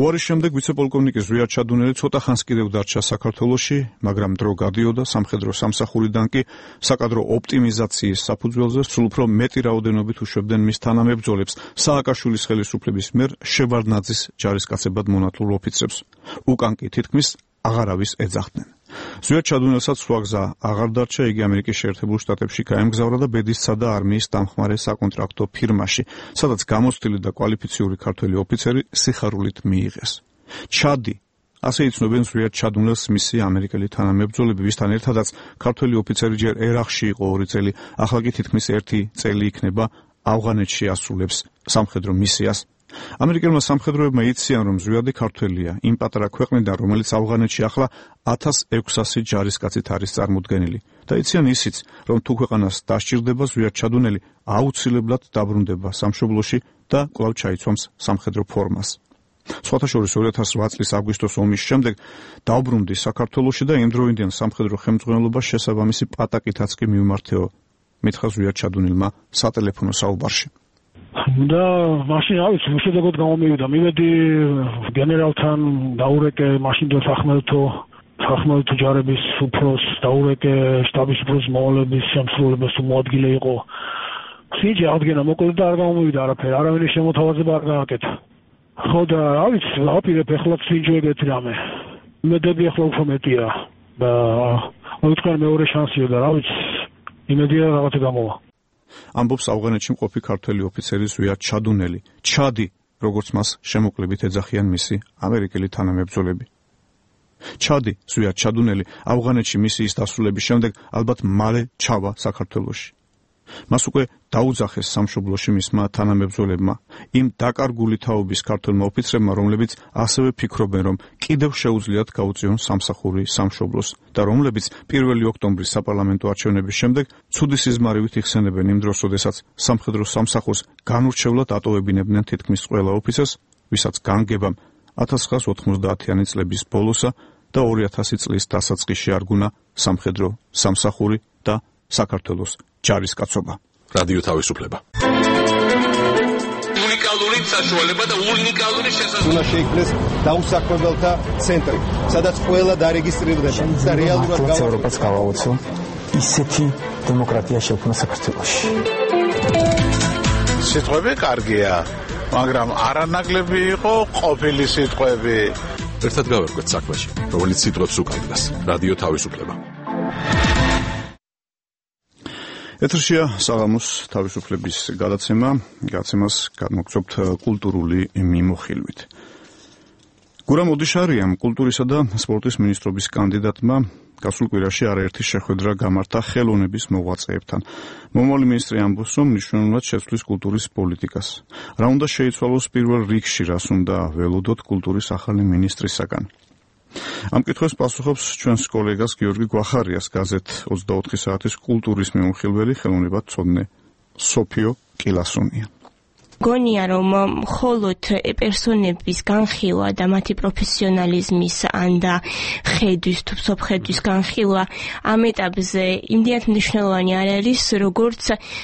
S1: უარის შემდეგ ვიცე-პოლკოვნიკი ზვიად ჩადუნელი ცოტა ხანს კიდევ დარჩა საქართველოში, მაგრამ დრო გადიოდა სამხედრო სამსახურიდან კი საკადრო ოპტიმიზაციის საფუძველზე სულ უფრო მეტი რაოდენობით უშვებდნენ მის თანამებრძოლებს სააკაშვილის ხელისუფლების მიერ შევარდნაძის ჯარისკაცებად მონათლულ ოფიცრებს. უკან კი თითქმის აღარავის ეძახდნენ. ზვიად ჩადუნელსაც სხვა გზა აღარ დარჩა, იგი ამერიკის შეერთებულ შტატებში გაემგზავრა და ბედისცა და არმიის დამხმარე საკონტრაქტო ფირმაში, სადაც გამოცდილი და კვალიფიციური ქართველი ოფიცერი სიხარულით მიიღეს. ჩადი, ასე იცნობენ ზვიად ჩადუნელს მისი ამერიკელი თანამებრძოლები, ვისთან ერთადაც ქართველი ოფიცერი ჯერ ერახში იყო 2 წელი, ახლა კი თითქმის 1 წელი იქნება ავღანეთში ასრულებს სამხედრო მისიას. ამერიკელმა სამხედროებმა იციან, რომ ზვიადი ქართველია, იმ პატარა ქვეყნიდან, რომელიც ავღანეთში ახლა 1600 ჯარისკაცით არის წარმოდგენილი. და იციან ისიც, რომ თუ ქვეყანას დასჭირდება ზვიად ჩადუნელი, აუცილებლად დაბრუნდება სამშობლოში და კვლავ ჩაიცვამს სამხედრო ფორმას. სხვათა შორის 2008 წლის აგვისტოს ომის შემდეგ დაუბრუნდი საქართველოში და იმდროინდელ სამხედრო ხელმძღვანელობას შესაბამისი პატაკითაც კი მიმართეო, მითხრა ზვიად ჩადუნელმა სატელეფონო საუბარში.
S6: და მაშინ ავიც უშედეგოდ გამომივიდა, მივედი გენერალთან, დაურეკე მაშინ და სახმელთო ჯარების უფროს, დაურეკე შტაბის უფროს მოვალეობის შემსრულებლებს თუ მოადგილე იყო. სიჯი აღდგენა მოკლედ და არ გამომივიდა არაფერი, არავის შემოთავაზება არ გააკეთა. ხო და ავიც აპირებ ეხლაც სინჯოებეთი რამე. იმედები ახლა უფრო მეტია და მოიწყარ მეორე შანსია და რავიც იმედია რაღაცა გამოვა.
S1: ამბობს ავღანეთში მყოფი ქართველი ოფიცერი ზვიად ჩადუნელი. ჩადი, როგორც მას შემოკლებით ეძახიან მისი ამერიკელი თანამებრძოლები. ჩადი, ზვიად ჩადუნელი, ავღანეთში მისიის დასრულების შემდეგ ალბათ მალე ჩავა საქართველოში. მას უკვე დაუძახეს სამშობლოში მისმა თანამებრძოლებმა, იმ დაკარგული თაობის ქართველმა ოფიცრებმა, რომლებიც ასევე ფიქრობენ, რომ კიდევ შეუძლიათ გაუწიონ სამსახური სამშობლოს და რომლებიც 1 ოქტომბრის საპარლამენტო არჩევნების შემდეგ ცუდი სიზმარივით იხსენებენ იმ დროს, როდესაც სამხედრო სამსახურს განურჩევლად ატოვებინებდნენ თითქმის ყველა ოფიცერს, ვისაც განგებამ 1990-იანი წლების ბოლოსა და 2000 წლის დასაწყისში არგუნა სამხედრო სამსახური და საქართველოს ჯარისკაცობა.
S16: რადიო თავისუფლება. უნიკალური საშუალება და უნიკალური შესაძლებლობა.
S10: უნდა შეიქმნეს დაუსაქმებელთა ცენტრი, სადაც ყველა დარეგისტრირდება და რეალურად
S4: ევროპას გავაოცო ისეთი დემოკრატია შექმნა საქართველოში.
S17: სიტყვები კარგია, მაგრამ არანაკლები იყო ყოფილი სიტყვები.
S16: ერთად გავერკვეთ საქმეში, რომელიც სიტყვებს უკავშირდება. რადიო თავისუფლება.
S1: ეთერშია საღამოს თავისუფლების გადაცემას გადმოგცემთ კულტურული მიმოხილვით. გურამ ოდიშარიამ, კულტურისა და სპორტის მინისტრობის კანდიდატმა, გასულ კვირაში არაერთი შეხვედრა გამართა ხელოვნების მოღვაწეებთან. მომავალი მინისტრი ამბობს, რომ მნიშვნელოვნად შეცვლის კულტურის პოლიტიკას. რა უნდა შეიცვალოს პირველ რიგში, რას უნდა ველოდოთ კულტურის ახალი მინისტრისაგან. ამ კითხვას პასუხობს ჩვენს კოლეგას გიორგი გვახარიას გაზეთ 24 საათის კულტურის მიმოხილველი ხელოვნებათმცოდნე სოფიო კილასონია.
S18: გონია რომ მხოლოდ პერსონების განხილვა და მათი პროფესიონალიზმის ან და ხედვის თუ სოფხედვის განხილვა ამ ეტაპზე იმდენად მნიშვნელოვანი არ არის, როგორც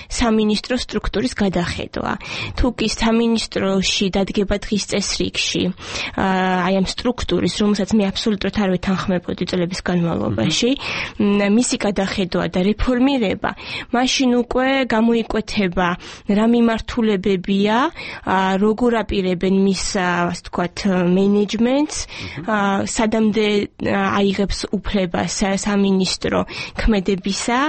S18: სამინისტრო სტრუქტურის გადახედვა. თუ კი სამინისტროში დადგება დღის წესრიგში აი ამ სტრუქტურის, რომელსაც მე აბსოლუტურად არ ვეთანხმებოდი წლების განმავლობაში, მისი გადახედვა და რეფორმირება, მაშინ უკვე გამოიკვეთება რა მიმართულებები როგორ აპირებენ მის ასე ვთქვათ მენეჯმენტს, სადამდე აიღებს უფლებას სამინისტრო ქმედებისა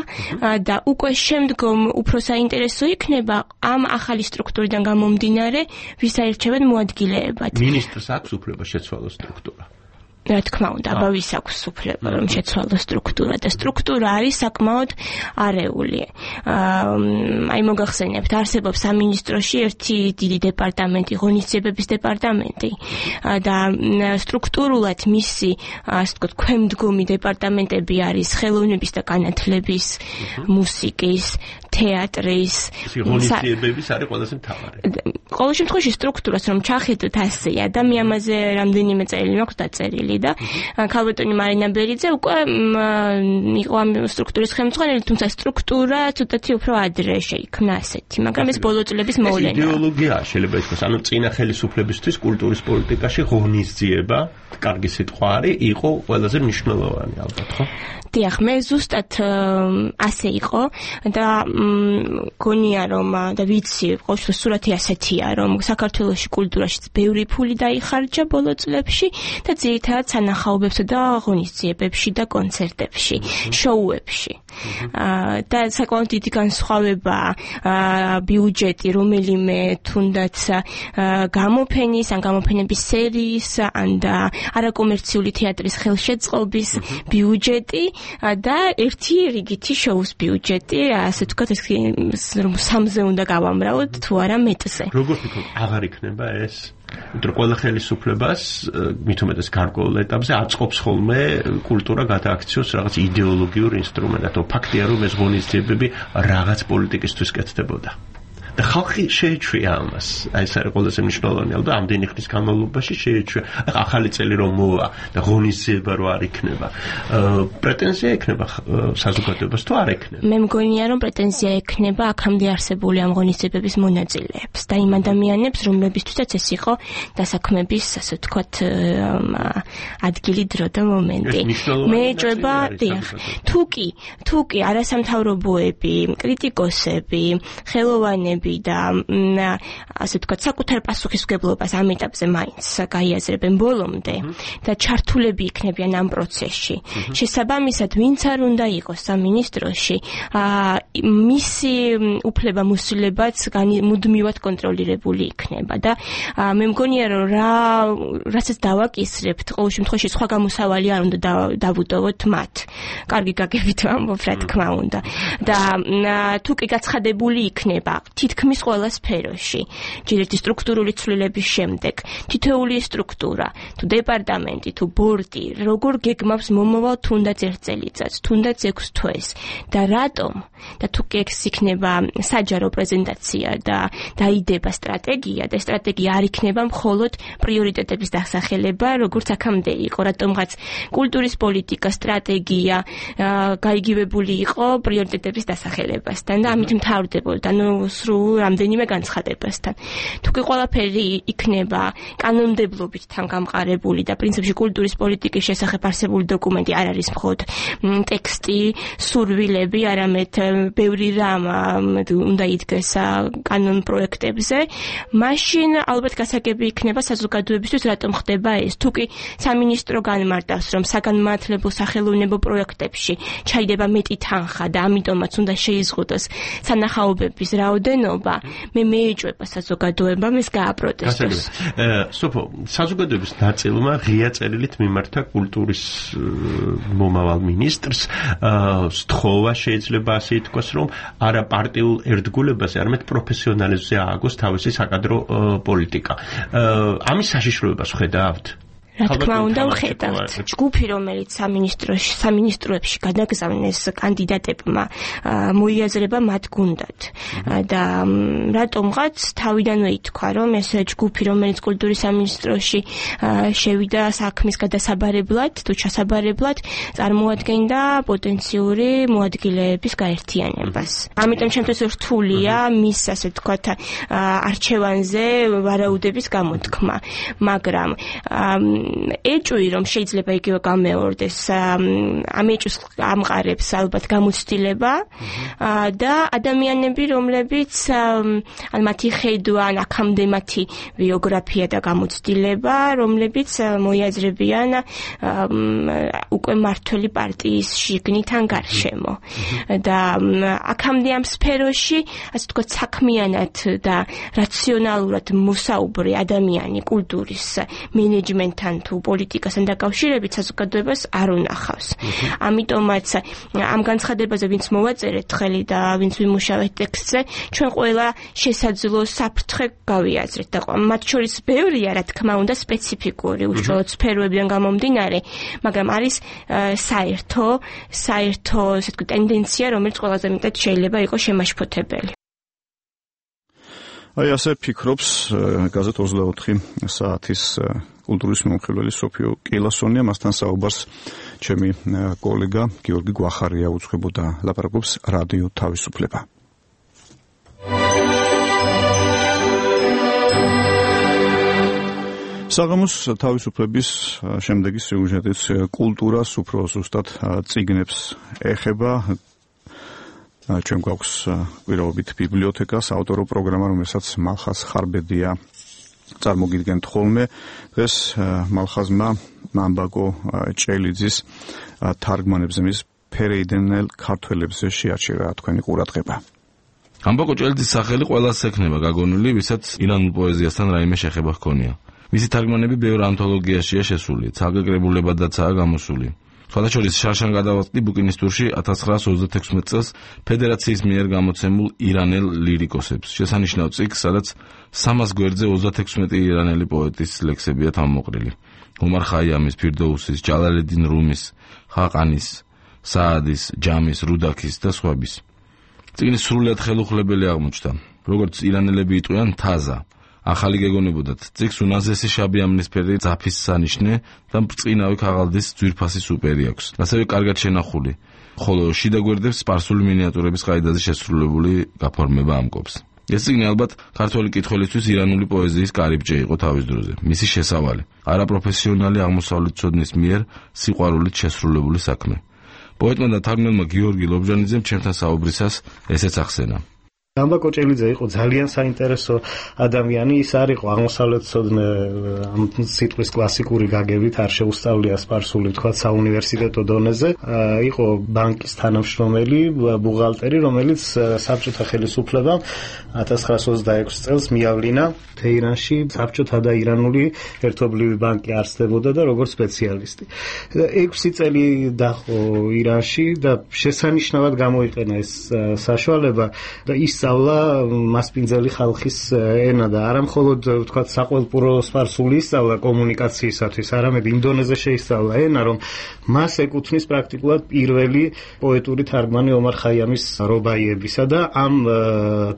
S18: და უკვე შემდგომ უფრო საინტერესო იქნება ამ ახალი სტრუქტურიდან გამომდინარე, ვის აირჩევენ მოადგილეებად.
S19: მინისტრს აქვს უფლება შეცვალოს სტრუქტურა.
S18: რა თქმა უნდა, აბავის აქვს უფლება რომ შეცვალოს სტრუქტურა და სტრუქტურა არის საკმაოდ არეული. აი მოგახსენებთ, არსებობს სამინისტროში ერთი დიდი დეპარტამენტი, ღონისძიებების დეპარტამენტი და სტრუქტურულად მისი, ასე ვთქვათ, ქვემდგომი დეპარტამენტები არის ხელოვნების და განათლების, მუსიკის, თეატრის
S19: ღონისძიებების არის ყველაზე მთავარი.
S18: ყოველ შემთხვევაში სტრუქტურას რომ ჩახედოთ ასე, ადამიანზე რამდენიმე წელი მაქვს დაწერილი და ქალბატონი მარინა ბერიძე უკვე იყო ამ სტრუქტურის ხელმძღვანელი, თუმცა სტრუქტურა ცოტათი უფრო ადრე შეიქმნა ასეთი, მაგრამ ეს ბოლო წლების მოვლენაა.
S19: იდეოლოგია შეიძლება ითქვას, ანუ წინა ხელისუფლებისთვის კულტურის პოლიტიკაში ღონისძიება, კარგი სიტყვა არის, იყო ყველაზე მნიშვნელოვანი ალბათ, ხო?
S18: დიახ, მე ზუსტად ასე იყო და გონია რომ და ვიცი, ყოველთვის სურათი ასეთია, რომ საქართველოში კულტურაში ბევრი ფული დაიხარჯა ბოლო წლებში და ძირითადად სანახაობებსა და ღონისძიებებში და კონცერტებში, შოუებში. და საკმაოდ დიდი განსხვავება ბიუჯეტი რომელიმე თუნდაც გამოფენის ან გამოფენების სერიის ან და არაკომერციული თეატრის ხელშეწყობის ბიუჯეტი და ერთი რიგითი შოუს ბიუჯეტი, ასე ვთქვათ, რომ სამზე უნდა გავამრავოთ თუ არა მეტზე.
S19: როგორ ფიქრობ, აღარ იქნება ეს? იმიტომ ყველა ხელისუფლებას მით უმეტეს გარკვეულ ეტაპზე აწყობს ხოლმე კულტურა გადააქციოს რაღაც იდეოლოგიურ ინსტრუმენტად. ფაქტია რომ ეს ღონისძიებები რაღაც პოლიტიკისთვის კეთდებოდა. და ხალხი შეეჩვია ამას. ეს არის ყველაზე მნიშვნელოვანი, ალბათ ამდენი ხნის განმავლობაში შეეჩვია. ახალი წელი რომ მოვა და ღონისძიება რო არ იქნება. პრეტენზია ექნება საზოგადოებას თუ არ ექნება?
S18: მე მგონია რომ პრეტენზია ექნება აქამდე არსებული ამ ღონისძიებების მონაწილეებს და იმ ადამიანებს, რომლებისთვისაც ეს იყო დასაქმების, ასე ვთქვათ, ადგილი, დრო და მომენტი. მე ეჭვება, დიახ, თუ კი არასამთავრობოები, კრიტიკოსები, ხელოვანები და ასე ვთქვათ, საკუთარ პასუხისმგებლობას ამ ეტაპზე მაინც გაიაზრებენ ბოლომდე და ჩართულები იქნებიან ამ პროცესში. შესაბამისად, ვინც არ უნდა იყოს სამინისტროში, მისი უფლება-მოსილებაც მუდმივად კონტროლირებული იქნება და მე მგონია რომ რასაც დავაკისრებთ, ყოველ შემთხვევაში სხვა გამოსავალი არ უნდა დავუტოვოთ მათ. კარგი გაგებით ვამბობ, რა თქმა უნდა. და თუ კი გაცხადებული იქნება თითქმის ყველა სფეროში, ჯერ ერთი სტრუქტურული ცვლილების შემდეგ, თითოეული სტრუქტურა, თუ დეპარტამენტი, თუ ბორდი, როგორ გეგმავს მომავალ თუნდაც ერთ წელიწადს, თუნდაც 6 თვეს და რატომ და თუ კი ეს იქნება საჯარო პრეზენტაცია და დაიდება სტრატეგია და სტრატეგია არ იქნება მხოლოდ პრიორიტეტების დასახელება, როგორც აქამდე იყო, რატომღაც კულტურის პოლიტიკა, სტრატეგია გაიგივებული იყო პრიორიტეტების დასახელებასთან და ამით მთავრდებოდა, სრულ რამდენიმე განცხადებასთან. თუ კი ყველაფერი იქნება კანონმდებლობით თან გამყარებული და პრინციპში კულტურის პოლიტიკის შესახებ არსებული დოკუმენტი არ არის მხოლოდ ტექსტი, სურვილები, არამედ ბევრი რამ უნდა იდგეს კანონ პროექტებზე, მაშინ ალბათ გასაგები იქნება საზოგადოებისთვის რატომ ხდება ეს. თუ კი სამინისტრო განმარტავს, რომ საგანმანათლებლო სახელოვნებო პროექტებში ჩაიდება მეტი თანხა და ამიტომაც უნდა შეიზღუდოს სანახაობების რაოდენობა, მე მეეჭვება საზოგადოებამ ეს გააპროტესტოს.
S19: სოფო, საზოგადოების ნაწილმა ღია წერილით მიმართა კულტურის მომავალ მინისტრს, სთხოვა შეიძლება ასე ითქვას, რომ არა პარტიულ ერთგულებაზე, არამედ პროფესიონალიზმზე ააგოს თავისი საკადრო პოლიტიკა. ამის საშიშროებას ხედავთ?
S18: რა თქმა უნდა ვხედავთ. ჯგუფი, რომელიც სამინისტროებში გადაგზავნეს კანდიდატებმა, მოიაზრება მათ გუნდად. და რატომღაც თავიდანვე ითქვა, რომ ეს ჯგუფი, რომელიც კულტურის სამინისტროში შევიდა საქმის გადასაბარებლად, თუ ჩასაბარებლად, წარმოადგენდა პოტენციური მოადგილეების გაერთიანებას. ამიტომ ჩემთვის რთულია მის, ასე ვთქვათ, არჩევანზე ვარაუდების გამოთქმა, მაგრამ ეჭვი რომ შეიძლება იგივე გამეორდეს, ამ ეჭვს ამყარებს ალბათ გამოცდილება და ადამიანები, რომლებიც ან მათი ხედვა, ან აქამდე მათი ბიოგრაფია და გამოცდილება, რომლებიც მოიაზრებიან უკვე მართველი პარტიის შიგნით ან გარშემო. და აქამდე ამ სფეროში, ასე ვთქვათ, საქმიანად და რაციონალურად მოსაუბრე ადამიანი კულტურის მენეჯმენტთან თუ პოლიტიკასთან დაკავშირებით საზოგადოებას არ უნახავს. ამიტომაც ამ განცხადებაზე ვინც მოვაწერეთ ხელი და ვინც ვიმუშავეთ ტექსტზე, ჩვენ ყველა შესაძლო საფრთხე გავიაზრეთ და მათ შორის ბევრია, რა თქმა უნდა, სპეციფიკური, უშუალოდ სფეროებიდან გამომდინარე, მაგრამ არის საერთო, ესე ვთქვი, ტენდენცია, რომელიც ყველაზე მეტად შეიძლება იყოს შემაშფოთებელი.
S1: აი ასე ფიქრობს გაზეთ 24 საათის კულტურის მომხილველი სოფიო კილასონია, მასთან საუბარს ჩემი კოლეგა გიორგი გვახარია უძღვებოდა, ლაპარაკობს რადიო თავისუფლება. საღამოს თავისუფლების შემდეგი სიუჟეტის კულტურას უფრო ზუსტად წიგნებს ეხება. ჩვენ გვაქვს პირობით ბიბლიოთეკა, საავტორო პროგრამა, რომელსაც მალხაზ ხარბედია წარმოგიდგენთ ხოლმე. დღეს მალხაზმა მამბაკო ჭელიძის თარგმანებზე მის ფერეიდნელ ქართველებზე შეაჩერა თქვენი ყურადღება.
S20: მამბაკო ჭელიძის სახელი ყველას ექნება გაგონილი, ვისაც ირანულ პოეზიასთან რაიმე შეხება ჰქონია. მისი თარგმანები ბევრ ანთოლოგიაშია შესული, ცალკე-კრებულებადაცაა გამოსული. სხვადასხვა შარშან გადავაწყდი ბუკინისტურში 1936 წელს ფედერაციის მიერ გამოცემულ ირანელ ლირიკოსებს. შესანიშნავ წიგნს, სადაც 300 გვერდზე 36 ირანელი პოეტის ლექსებია თავმოყრილი. ომარ ხაიამის, ფირდოუსის, ჯალალედინ რუმის, ხაყანის, საადის, ჯამის, რუდაქის და სხვების. წიგნი სრულიად ხელუხლებელი აღმოჩნდა. როგორც ირანელები იტყვიან, თაზა. ახალი გეგონებოდათ წიგნს უნაზესი შაბი ამნისფერი ძაფის სანიშნე და ბრწყინავი ქაღალდის ძვირფასი სუპერი აქვს. ასევე კარგად შენახული, ხოლო შიდა გვერდებს სპარსული მინიატურების ყაიდაზე შესრულებული გაფორმება ამკობს. ეს წიგნი ალბათ ქართველი კითხველისთვის ირანული პოეზიის კარიბჭე იყო თავის დროზე. მისი შესავალი, არაპროფესიონალი აღმოსავლეთმცოდნის მიერ სიყვარულით შესრულებული საქმე. პოეტმა და თარგმნელმა გიორგი ლობჟანიძემ ჩემთან საუბრისას ესეც ახსენა.
S21: მამბაკო ჭელიძე იყო ძალიან საინტერესო ადამიანი, ის არ იყო აღმოსავლეთმცოდნე ამ სიტყვის კლასიკური გაგებით, არ შეუსწავლია სპარსული თქვა საუნივერსიტეტო დონეზე, იყო ბანკის თანამშრომელი, ბუღალტერი, რომელიც საბჭოთა ხელისუფლებამ 1926 წელს მიავლინა თეირანში საბჭოთა და ირანული ერთობლივი ბანკი არსებობდა და როგორც სპეციალისტი. 6 წელი დაჰყო ირანში და შესანიშნავად გამოიყენა ეს საშუალება და ის მასპინძელი ხალხის ენა და არა მხოლოდ თქვა საყველპურო სპარსული ისწავლა კომუნიკაციისათვის, არამედ იმ დონეზე შეისწავლა ენა, რომ მას ეკუთვნის პრაქტიკულად პირველი პოეტური თარგმანი ომარ ხაიამის რობაიებისა და ამ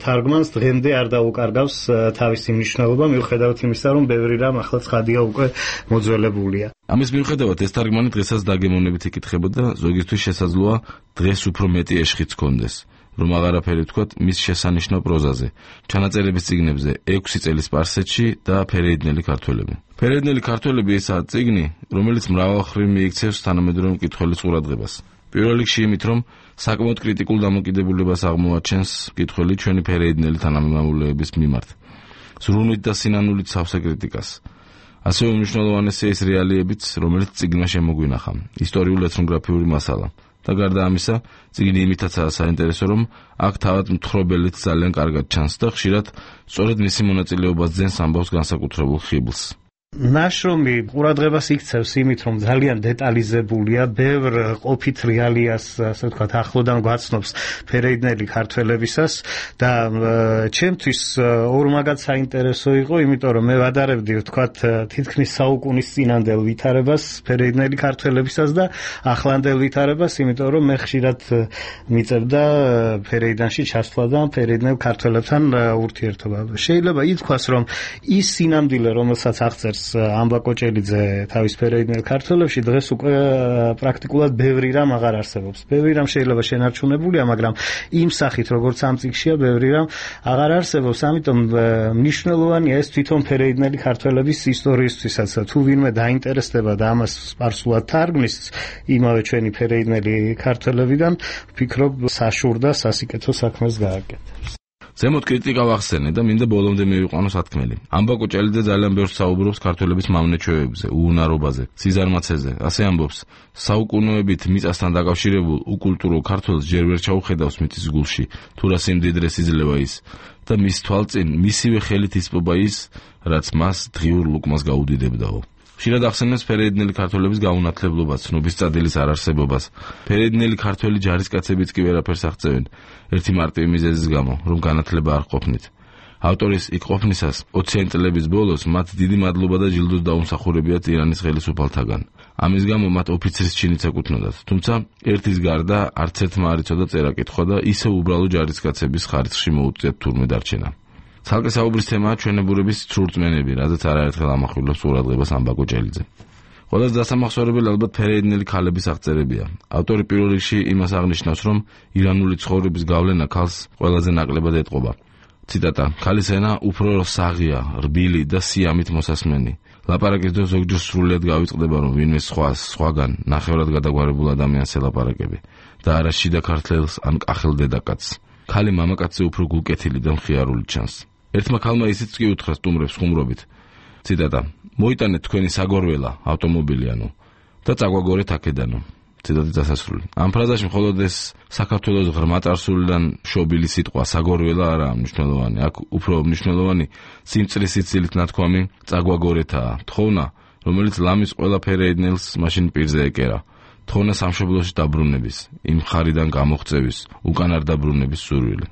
S21: თარგმანს დღემდე არ დაუკარგავს თავისი მნიშვნელობა, მიუხედავად იმისა, რომ ბევრი რამ ახლა ცხადია უკვე მოძველებულია.
S20: ამის მიუხედავად ეს თარგმანი დღესაც დაგემოვნებით იკითხებოდა, ზოგისთვის შესაძლოა დღეს უფრო მეტი ეშხიც ჰქონდეს. რომ აღარაფერი ვთქვათ მის შესანიშნავ პროზაზე, ჩანაწერების წიგნებზე 6 წელი სპარსეთში და ფერეიდნელი ქართველები. ფერეიდნელი ქართველები ესაა წიგნი, რომელიც მრავალმხრივ მიიქცევს თანამედროვე მკითხველის ყურადღებას. პირველ რიგში იმით, რომ საკმაოდ კრიტიკულ დამოკიდებულებას აღმოაჩენს მკითხველი ჩვენი ფერეიდნელი თანამემამულეების მიმართ. ზრუნვით და სინანულით სავსე კრიტიკას. ასევე უმნიშვნელოვანესია ის რეალიებიც, რომელიც წიგნმა შემოგვინახა, ისტორიულ ეთნოგრაფიული მასალა. და გარდა ამისა, წიგნი იმითაცაა საინტერესო, რომ აქ თავად მთხრობელიც ძალიან კარგად ჩანს და ხშირად სწორედ მისი მონაწილეობას ძენს ამბავს განსაკუთრებულ ხიბლს.
S21: ნაშრომი ყურადღებას იქცევს იმით, რომ ძალიან დეტალიზებულია, ბევრ ყოფით რეალიას, ასე ვთქვათ, ახლოდან გვაცნობს ფერეიდნელი ქართველებისას და ჩემთვის ორმაგად საინტერესო იყო, იმიტომ რომ მე ვადარებდი, ვთქვათ, თითქმის საუკუნის წინანდელ ვითარებას ფერეიდნელი ქართველებისას და ახლანდელ ვითარებას, იმიტომ რომ მე ხშირად მიწევდა ფერეიდანში ჩასვლა და ფერეიდნელ ქართველებთან ურთიერთობა. შეიძლება ითქვას, რომ ის სინამდვილე, რომელსაც აღწერს ამბაკო ჭელიძე თავის ფერეიდნელ ქართველებში, დღეს უკვე პრაქტიკულად ბევრი რამ აღარ არსებობს. ბევრი რამ შეიძლება შენარჩუნებულია, მაგრამ იმ სახით, როგორც ამ წიგნშია, ბევრი რამ აღარ არსებობს. ამიტომ მნიშვნელოვანია ეს თვითონ ფერეიდნელი ქართველების ისტორიისთვისაც. თუ ვინმე დაინტერესდება და ამას სპარსულად თარგმნის იმავე ჩვენი ფერეიდნელი ქართველებიდან, ვფიქრობ, საშურდა სასიკეთო საქმეს გააკეთებს.
S20: ზემოთ კრიტიკა ვახსენე და მინდა ბოლომდე მივიყვანო სათქმელი. ამბაკო ჭელიძე ძალიან ბევრს საუბრობს ქართველების მამნეჩვევებზე, უუნარობაზე, სიზარმაცეზე. ასე ამბობს, საუკუნეებით მიწასთან დაკავშირებულ უკულტურო ქართველს ჯერ ვერ ჩაუხედავს მიწის გულში, თუ რა სიმდიდრეს იძლევა ის და მის თვალწინ მისივე ხელით ისპობა ის, რაც მას დღიურ ლუკმას გაუდიდებდაო. ხშირად ახსენებს ფერეიდნელი ქართველების გაუნათლებლობას, ცნობის წადილის არარსებობას. ფერეიდნელი ქართველი ჯარისკაცებიც კი ვერაფერს აღწევენ, ერთი მარტივი მიზეზის გამო, რომ განათლება არ ყოფნით. ავტორის იქ ყოფნისას 20-იან წლების ბოლოს მათ დიდი მადლობა და ჯილდოს დაუმსახურებიათ ირანის ხელისუფალთაგან. ამის გამო მათ ოფიცრის ჩინიც ეკუთვნოდათ, თუმცა ერთის გარდა არც ერთმა არ იცოდა წერა-კითხვა და ისევ უბრალო ჯარისკაცების ხარისხში მოუწიათ თურმე დარჩენა. ცალკე საუბრის თემაა ჩვენებურების ცრურწმენები, რაზეც არაერთხელ ამახვილებს ყურადღებას ამბაკო ჭელიძე. ყველაზე დასამახსოვრებელი ალბათ ფერეიდნელი ქალების აღწერებია. ავტორი პირველ რიგში იმას აღნიშნავს, რომ ირანული ცხოვრების გავლენა ქალს ყველაზე ნაკლებად ეტყობა. ციტატა: ქალის ენა უფრო საღია, რბილი და სიამით მოსასმენი. ლაპარაკის დრო ზოგჯერ სრულიად გავიწყდება, რომ ვინმე სხვაგან ნახევრად გადაგვარებულ ადამიანს ელაპარაკები და არა შიდა ქართველს ან კახელ დედაკაცს. ქალი მამაკაცზე უფრო გულკეთილი და მხიარული ჩანს. ერთმა ქალმა ისიც კი უთხრა სტუმრებს ხუმრობით. ციტატა: მოიტანეთ თქვენი საგორველა, ავტომობილი ანუ და წაგვაგორეთ აქედანო. ციტატის დასასრული. ამ ფრაზაში მხოლოდ ეს საქართველოს ღრმა წარსულიდან შობილი სიტყვა საგორველა არაა მნიშვნელოვანი. აქ უფრო მნიშვნელოვანი სიმწრის სიცილით ნათქვამი წაგვაგორეთაა. თხოვნა, რომელიც ლამის ყველა ფერეიდნელს მაშინ პირზე ეკერა. თხოვნა სამშობლოში დაბრუნების, იმ ხარიდან გამოღწევის, უკან არ დაბრუნების სურვილი.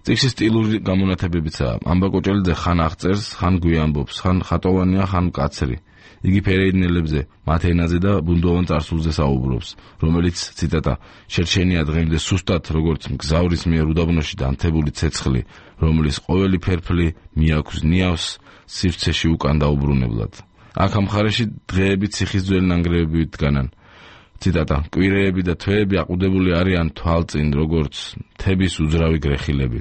S20: წიგნში სტილური გამონათებებიცაა. ამბაკო ჭელიძე ხან აღწერს, ხან გვიამბობს, ხან ხატოვანია, ხან მკაცრი. იგი ფერეიდნელებზე, მათ ენაზე და ბუნდოვან წარსულზე საუბრობს, რომელიც, ციტატა, შერჩენია დღემდე სუსტად, როგორც მგზავრის მიერ უდაბნოში დანთებული ცეცხლი, რომლის ყოველი ფერფლი მიაქვს ნიავს სივრცეში უკან დაუბრუნებლად. აქ ამ მხარეში დღეები ციხის ძველი ნანგრევები დგანან. ციტატა: კვირეები და თვეები აყუდებული არიან თვალწინ, როგორც მთების უძრავი გრეხილები.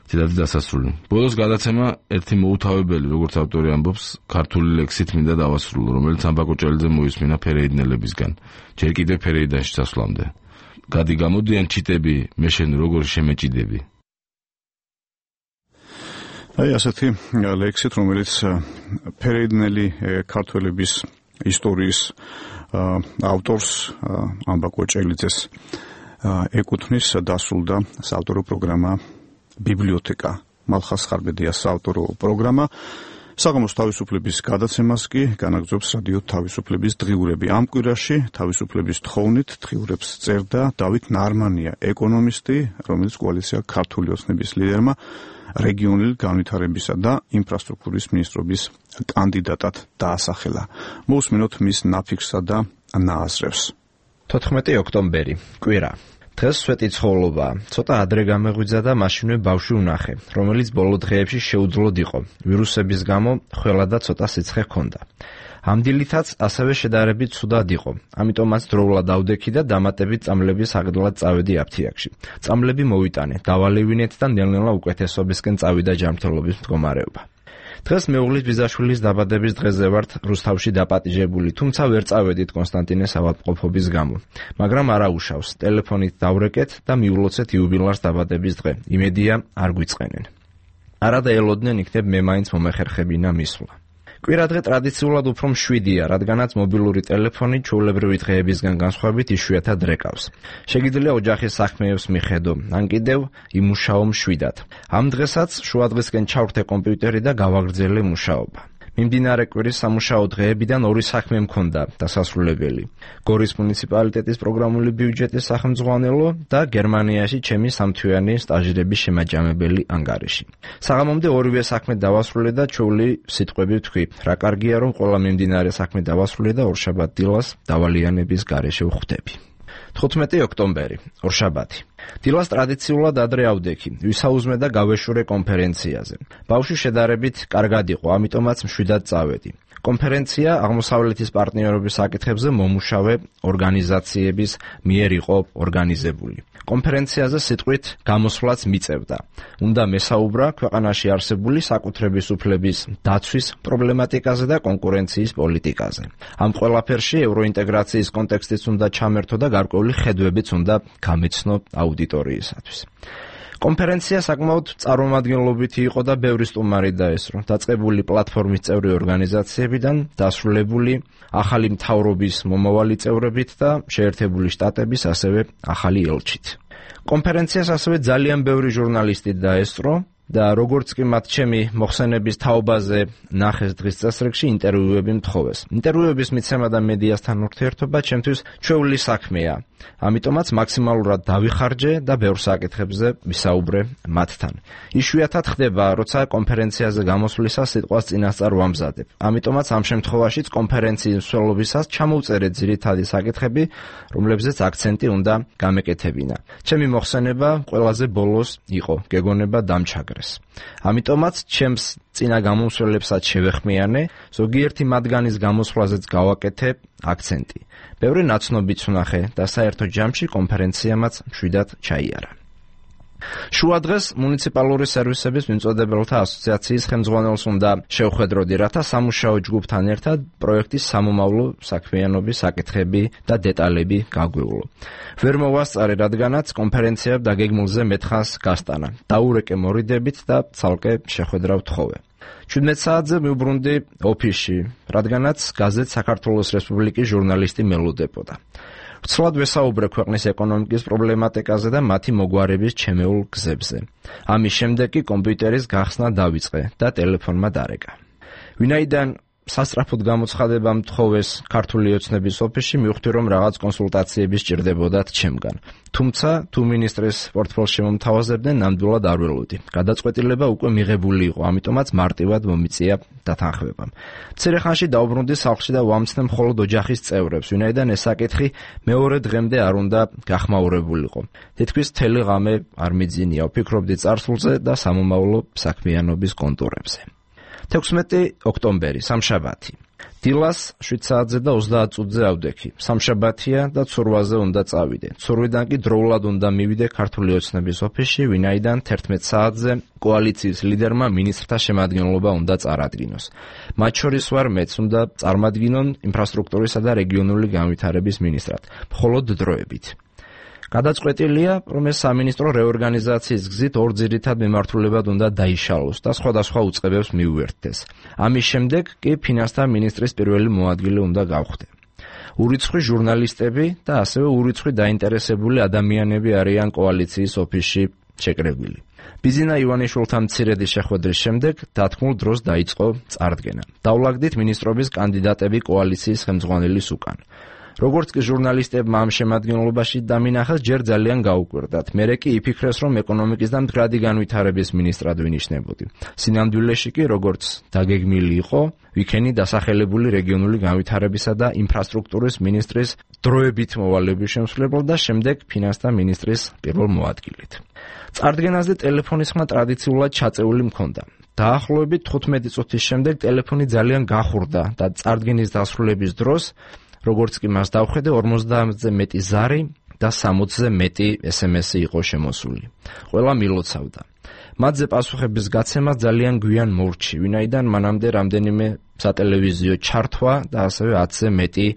S20: ციტატის დასასრული. ბოლოს გადაცემა ერთი მოუთავებელი, როგორც ავტორი ამბობს, ქართული ლექსით მინდა დავასრულო, რომელიც ამბაკო ჭელიძე მოისმინა ფერეიდნელებისგან, ჯერ კიდევ ფერეიდანში წასვლამდე. გადი გამოდიან ჩიტები, მე შენ როგორ შემეჭიდები.
S1: აი ასეთი ლექსით, რომელიც ფერეიდნელი ქართველების ისტორიის ავტორს ამბაკო ჭელიძეს ეკუთვნის, დასრულდა საავტორო პროგრამა ბიბლიოთეკა მალხას ხარბედიას საავტორო პროგრამა. საღამოს თავისუფლების გადაცემას კი განაგრძობს რადიო თავისუფლების დღიურები. ამ კვირაში თავისუფლების თხოვნით დღიურებს წერდა დავით ნარმანია, ეკონომისტი, რომელიც კოალიცია ქართული ოცნების ლიდერმა რეგიონული განვითარებისა და ინფრასტრუქტურის მინისტრობის კანდიდატად დაასახელა. მოусმინოთ მის ნაფიქსსა და ნააზრევს.
S5: 14 ოქტომბერი, კვირა. დღეს სვეტი ცხოველობაა. ცოტა ადრე გამეღვიძა და მაშინვე ბავშვი უნახე, რომელიც ბოლო დღეებში შეუძლოდ იყო. ვირუსების გამო ხველა და ცოტა სიცხე ჰქონდა. ამ დილითაც ასევე შედარებით ცუდად იყო. ამიტომაც დროულად დავდექი და დამატებით წამლების აღდლად წავედი აფთიაქში. წამლები მოვიტანე, დავალევინეთ და ნელ-ნელა უკეთესობისკენ წავიდა ჯანმრთელობის მდგომარეობა. დღეს მეუღლის ბიძაშვილის დაბადების დღეზე ვართ რუსთავში დაპატიჟებული, თუმცა ვერ წავედით კონსტანტინეს ავადმყოფობის გამო. მაგრამ არა უშავს, ტელეფონით დავრეკეთ და მიულოცეთ იუბილარს დაბადების დღე. იმედია არ გვიწყენენ. არა და ელოდნენ იქნებ მე მაინც მომეხერხებინა მისვლა. კვირადღე ტრადიციულად უფრო მშვიდია, რადგანაც მობილური ტელეფონი ჩვეულებრივი დღეებისგან განსხვავებით იშვიათად რეკავს. შეგიძლია ოჯახის საქმეებს მიხედო, ან კიდევ იმუშაო მშვიდად. ამ დღესაც შუადღისკენ ჩავრთე კომპიუტერი და გავაგრძელე მუშაობა. მიმდინარე კვირის სამუშაო დღეებიდან ორი საქმე მქონდა დასასრულებელი. გორის მუნიციპალიტეტის პროგრამული ბიუჯეტის სახელმძღვანელო და გერმანიაში ჩემი სამთვიანი სტაჟირების შემაჯამებელი ანგარიში. საღამომდე ორივე საქმე დავასრულე და ჩვეული სიტყვები ვთქვი, რა კარგია რომ ყველა მიმდინარე საქმე დავასრულე და ორშაბათ დილას დავალიანების გარეშე ვხვდები. 15 ოქტომბერი, ორშაბათი. დილას ტრადიციულად ადრე ავდექი, ვისაუზმე და გავეშურე კონფერენციაზე. ბავშვი შედარებით კარგად იყო, ამიტომაც მშვიდად წავედი. კონფერენცია აღმოსავლეთის პარტნიორობის საკითხებზე მომუშავე ორგანიზაციების მიერ იყო ორგანიზებული. კონფერენციაზე სიტყვით გამოსვლაც მიწევდა. უნდა მესაუბრა ქვეყანაში არსებული საკუთრების უფლების დაცვის პრობლემატიკაზე და კონკურენციის პოლიტიკაზე. ამ ყველაფერში ევროინტეგრაციის კონტექსტიც უნდა ჩამერთო და გარკვეული ხედვებიც უნდა გამეცნო აუდიტორიისათვის. კონფერენცია საკმაოდ წარმომადგენლობითი იყო და ბევრი სტუმარი დაესწრო. დაწყებული პლატფორმის წევრი ორგანიზაციებიდან, დასრულებული ახალი მთავრობის მომავალი წევრებით და შეერთებული შტატების ასევე ახალი ელჩით. კონფერენციას ასევე ძალიან ბევრი ჟურნალისტი დაესწრო, და როგორც კი მათ ჩემი მოხსენების თაობაზე ნახეს დღის წესრიგში ინტერვიუები მთხოვეს. ინტერვიუების მიცემა და მედიასთან ურთიერთობა ჩემთვის ჩვეული საქმეა. ამიტომაც მაქსიმალურად დავიხარჯე და ბევრ საკითხებზე ვისაუბრე მათთან. იშვიათად ხდება, როცა კონფერენციაზე გამოსვლისას სიტყვას წინასწარ ვამზადებ. ამიტომაც ამ შემთხვევაშიც კონფერენციის მსვლელობისას ჩამოვწერე ძირითადი საკითხები, რომლებზეც აქცენტი უნდა გამეკეთებინა. ჩემი მოხსენება ყველაზე ბოლოს იყო, გეგონება დამჩაგრეს. ამიტომაც ჩემს წინა გამომსვლელებსაც შევეხმიანე, ზოგიერთი მათგანის გამოსვლაზეც გავაკეთე აქცენტი. ბევრი ნაცნობიც ვნახე და საერთო ჯამში კონფერენციამაც მშვიდად ჩაიარა. შუა დღეს მუნიციპალური სერვისების მიმწოდებელთა ასოციაციის ხელმძღვანელს უნდა შევხვედროდი, რათა სამუშაო ჯგუფთან ერთად პროექტის სამომავლო საქმიანობის საკითხები და დეტალები გაგვეულო. ვერ მოვასწარე, რადგანაც კონფერენცია დაგეგმილზე მეთხანს გასტანა. დაურეკე მორიდებით და ცალკე შეხვედრა ვთხოვე. 17 საათზე მივბრუნდი ოფისში, რადგანაც გაზეთ საქართველოს რესპუბლიკის ჟურნალისტი მელოდებოდა. ვცლად ვესაუბრე ქვეყნის ეკონომიკის პრობლემატიკაზე და მათი მოგვარების ჩემეულ გზებზე. ამის შემდეგ კი კომპიუტერის გახსნა დავიწყე და ტელეფონმა დარეკა. ვინაიდან სასწრაფოდ გამოცხადება მთხოვეს ქართული ოცნების ოფისში, მივხვდი, რომ რაღაც კონსულტაციები სჭირდებოდათ ჩემგან. თუმცა თუ მინისტრის პორტფელს შემომთავაზებდნენ, ნამდვილად არ ველოდი. გადაწყვეტილება უკვე მიღებული იყო, ამიტომაც მარტივად მომიწია დათანხმებამ. მცირე ხანში დავბრუნდი სახლში და ვამცნე მხოლოდ ოჯახის წევრებს, ვინაიდან ეს საკითხი მეორე დღემდე არ უნდა გახმაურებულიყო. თითქმის მთელი ღამე არ მიძინია, ვფიქრობდი წარსულზე და სამომავლო საქმიანობის კონტურებზე. 16 ოქტომბერი, სამშაბათი. დილას 7 საათზე და 30 წუთზე ავდექი. სამშაბათია და ცურვაზე უნდა წავიდე. ცურვიდან კი დროულად უნდა მივიდე ქართული ოცნების ოფისში, ვინაიდან 11 საათზე კოალიციის ლიდერმა მინისტრთა შემადგენლობა უნდა წარადგინოს. მათ შორის ვარ მეც, უნდა წარმადგინონ ინფრასტრუქტურისა და რეგიონული განვითარების მინისტრად, მხოლოდ დროებით. გადაწყვეტილია, რომ ეს სამინისტრო რეორგანიზაციის გზით ორ ძირითად მიმართულებად უნდა დაიშალოს და სხვადასხვა უწყებებს მიუერთდეს. ამის შემდეგ კი ფინანსთა მინისტრის პირველი მოადგილე უნდა გავხდე. ურიცხვი ჟურნალისტები და ასევე ურიცხვი დაინტერესებული ადამიანები არიან კოალიციის ოფისში შეკრებილი. ბიზინა ივანიშვილთან მცირედი შეხვედრის შემდეგ დათქმულ დროს დაიწყო წარდგენა. დავლაგდით მინისტრობის კანდიდატები კოალიციის ხელმძღვანელის უკან. როგორც კი ჟურნალისტებმა ამ შემადგენლობაში დამინახეს, ჯერ ძალიან გაუკვირდათ. მერე კი იფიქრეს, რომ ეკონომიკის და მდგრადი განვითარების მინისტრად ვინიშნებოდი. სინამდვილეში კი, როგორც დაგეგმილი იყო, ვიქენი დასახელებული რეგიონული განვითარებისა და ინფრასტრუქტურის მინისტრის დროებით მოვალების შემსრულებლად და შემდეგ ფინანსთა მინისტრის პირველ მოადგილედ. წარდგენაზე ტელეფონის ხმა ტრადიციულად ჩაწეული მქონდა. დაახლოებით 15 წუთის შემდეგ ტელეფონი ძალიან გახურდა და წარდგენის დასრულების დროს როგორც კი მას დავხედე, 50-ზე მეტი ზარი და 60-ზე მეტი SMS-ი იყო შემოსული. ყველა მილოცავდა. მათზე პასუხების გაცემა ძალიან გვიან მოვრჩი, ვინაიდან მანამდე რამდენიმე სატელევიზიო ჩართვა და ასევე 10-ზე მეტი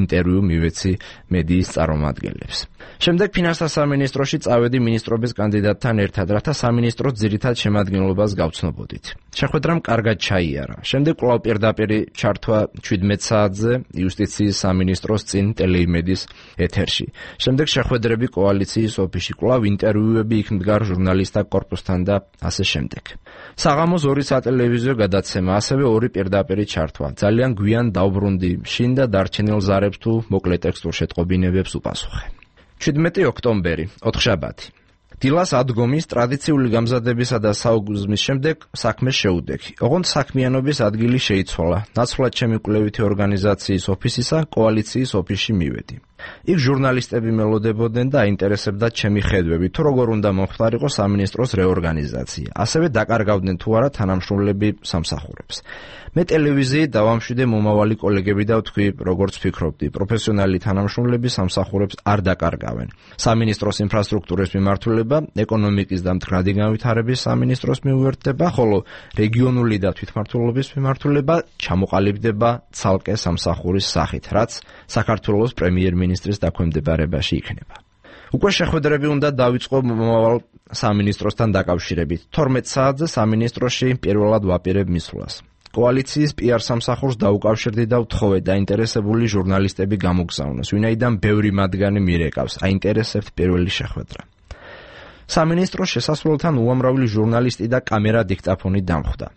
S5: ინტერვიუ მივეცი მედიის წარმომადგენლებს. შემდეგ ფინანსთა სამინისტროში წავედი მინისტრობის კანდიდატთან ერთად, რათა სამინისტროს ძირითად შემადგენლობას გავცნობოდით. შეხვედრამ კარგად ჩაიარა. შემდეგ კვლავ პირდაპირ ჩართვა 17 საათზე იუსტიციის სამინისტროს წინ ტელეიმედის ეთერში. შემდეგ შეხვედრები კოალიციის ოფისში, კვლავ ინტერვიუები იქ მდგარ ჟურნალისტთა კორპუსთან და ასე შემდეგ. საღამოს 2 სატელევიზიო გადაცემა, ასევე 2 პირდაპირ ჩართვა. ძალიან გვიან დავბრუნდი, შინ და დარჩენილ ზარებს თუ მოკლე ტექსტურ შეტყობინებებს უპასუხე. 17 ოქტომბერი, ოთხშაბათი. დილას ადგომის ტრადიციული გამზადებისა და საუგზმის შემდეგ საქმე შეუდექი. ოღონდ საქმიანობის ადგილი შეიცვალა. ნაცვლად ჩემი კვლევითი ორგანიზაციის ოფისისა კოალიციის ოფისში მივედი. იქ ჟურნალისტები მელოდებოდნენ და აინტერესებდათ ჩემი ხედვები, თუ როგორ უნდა მომხდარიყო სამინისტროს რეორგანიზაცია. ასევე დაკარგავდნენ თუ არა თანამშრომლები სამსახურებს. მე ტელევიზიით დავამშვიდე მომავალი კოლეგები და ვთქვი, როგორც ვფიქრობდი, პროფესიონალი თანამშრომლები სამსახურებს არ დაკარგავენ. სამინისტროს ინფრასტრუქტურის მიმართულება, ეკონომიკის და მდგრადი განვითარების სამინისტროს მიუერთდება, ხოლო რეგიონული და თვითმმართველობის მიმართულება ჩამოყალიბდება ცალკე სამსახურის სახით, რაც საქართველოს პრემიერ-მინისტრის დაქვემდებარებაში იქნება. უკვე შეხვედრები უნდა დავიწყო მომავალ სამინისტროსთან დაკავშირებით. 12 საათზე სამინისტროში პირველად ვაპირებ მისვლას. კოალიციის PR სამსახურს დაუკავშირდი და ვთხოვე დაინტერესებული ჟურნალისტები გამოგზავნოს, ვინაიდან ბევრი მათგანი მირეკავს, აინტერესებთ პირველი შეხვედრა. სამინისტროს შესასვლელთან უამრავი ჟურნალისტი და კამერა დიქტაფონი დამხვდა.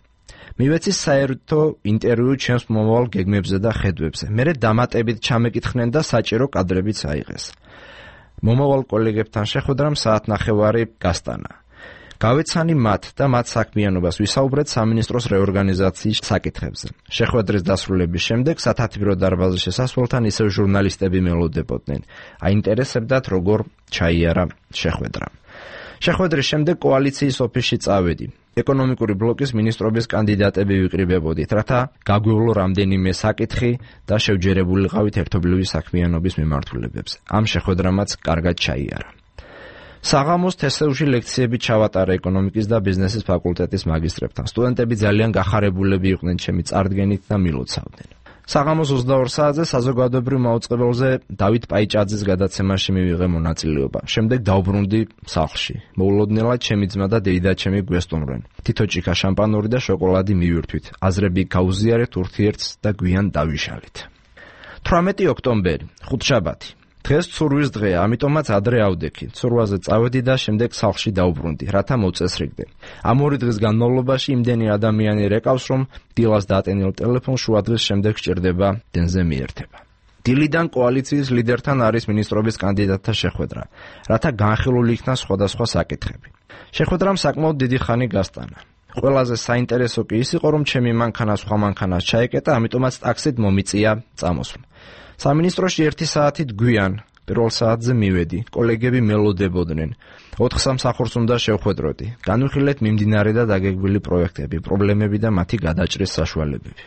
S5: მივეცი საერთო ინტერვიუ ჩემს მომავალ გეგმებზე და ხედვებზე. მერე დამატებით ჩამეკითხნენ და საჭირო კადრებიც აიღეს. მომავალ კოლეგებთან შეხვედრამ საათნახევარი გასტანა. გავეცანი მათ და მათ საქმიანობას ვისაუბრეთ სამინისტროს რეორგანიზაციის საკითხებზე. შეხვედრის დასრულების შემდეგ სათათბირო დარბაზის შესასვლელთან ისევ ჟურნალისტები მელოდებოდნენ. აინტერესებდათ როგორ ჩაიარა შეხვედრა. შეხვედრის შემდეგ კოალიციის ოფისში წავედი. ეკონომიკური ბლოკის მინისტრობის კანდიდატები ვიკრიბებოდით, რათა გაგვევლო რამდენიმე საკითხი და შევჯერებულიყავით ერთობლივი საქმიანობის მიმართულებებზე. ამ შეხვედრამაც კარგად ჩაიარა. საღამოს თესევში ლექციები ჩავატარა ეკონომიკის და ბიზნესის ფაკულტეტის მაგისტრებთან. სტუდენტები ძალიან გახარებულები იყვნენ ჩემი წარდგენით და მილოცავდნენ. საღამოს 22 საათზე საზოგადოებრივ მაუწყებელზე დავით პაიჭაძის გადაცემაში მივიღე მონაწილეობა. შემდეგ დავბრუნდი სახლში. მოულოდნელად ჩემი ძმა და დეიდაჩემი გვესტუმრნენ. თითო ჭიქა შამპანური და შოკოლადი მივირთვით. აზრები გავუზიარეთ ურთიერთს და გვიან დავიშალით. 18 ოქტომბერი, ხუთშაბათი. დღეს ცურვის დღეა, ამიტომაც ადრე ავდექი. ცურვაზე წავედი და შემდეგ სახლში დავბრუნდი, რათა მოწესრიგდე. ამ ორი დღის განმავლობაში იმდენი ადამიანი რეკავს, რომ დილას დატენილ ტელეფონს შუადღის შემდეგ სჭირდება დენზე მიერთება. დილიდან კოალიციის ლიდერთან არის მინისტრობის კანდიდატთა შეხვედრა, რათა განხილული იქნას სხვადასხვა საკითხები. შეხვედრამ საკმაოდ დიდი ხანი გასტანა. ყველაზე საინტერესო კი ის იყო, რომ ჩემი მანქანა სხვა მანქანას ჩაეკეტა, ამიტომაც ტაქსით მომიწია წამოსვლა. სამინისტროში 1 საათით გვიან პირველ საათზე მივედი. კოლეგები მელოდებოდნენ. 4 სამსახურს უნდა შევხვედროდი. განვიხილეთ მიმდინარე და დაგეგმილი პროექტები, პრობლემები და მათი გადაჭრის საშუალებები.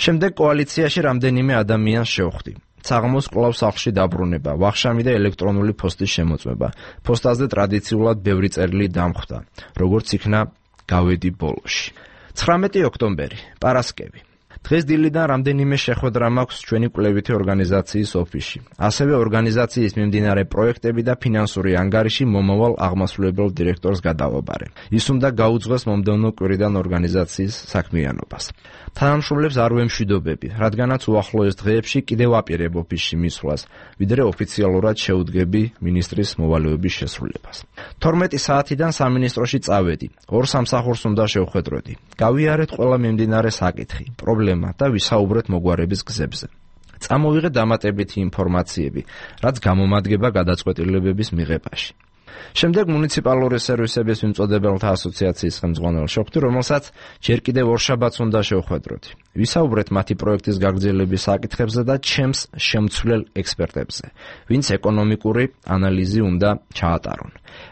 S5: შემდეგ კოალიციაში რამდენიმე ადამიანს შევხვდი. საღამოს კვლავ სახლში დაბრუნება, ვახშამი და ელექტრონული პოსტის შემოწმება. პოსტაზე ტრადიციულად ბევრი წერილი დამხვდა. როგორც იქნა გავედი ბოლოში. 19 ოქტომბერი, პარასკევი. დღეს დილიდან რამდენიმე შეხვედრა მაქვს ჩვენი კვლევითი ორგანიზაციის ოფისში. ასევე ორგანიზაციის მიმდინარე პროექტები და ფინანსური ანგარიში მომავალ აღმასრულებელ დირექტორს გადავაბარე. ის უნდა გაუძღვეს მომდევნო კვირიდან ორგანიზაციის საქმიანობას. თანამშრომლებს არ ვემშვიდობები, რადგანაც უახლოეს დღეებში კიდევ აპირებ ოფისში მისვლას, ვიდრე ოფიციალურად შეუდგები მინისტრის მოვალეობის შესრულებას. 12 საათიდან სამინისტროში წავედი. 2 სამსახურს უნდა შევხვედროდი. გავიარეთ ყველა მიმდინარე საკითხი, პრობლემა და ვისაუბრეთ მოგვარების გზებზე. წამოვიღე დამატებითი ინფორმაციები, რაც გამომადგება გადაწყვეტილებების მიღებაში. შემდეგ მუნიციპალური სერვისების მიმწოდებელთა ასოციაციის ხელმძღვანელს შევხვდი, რომელსაც ჯერ კიდევ ორშაბათს უნდა შევხვედროდი. ვისაუბრეთ მათი პროექტის გაგრძელების საკითხებზე და ჩემს შემცვლელ ექსპერტებზე, ვინც ეკონომიკური ანალიზი უნდა ჩაატარონ.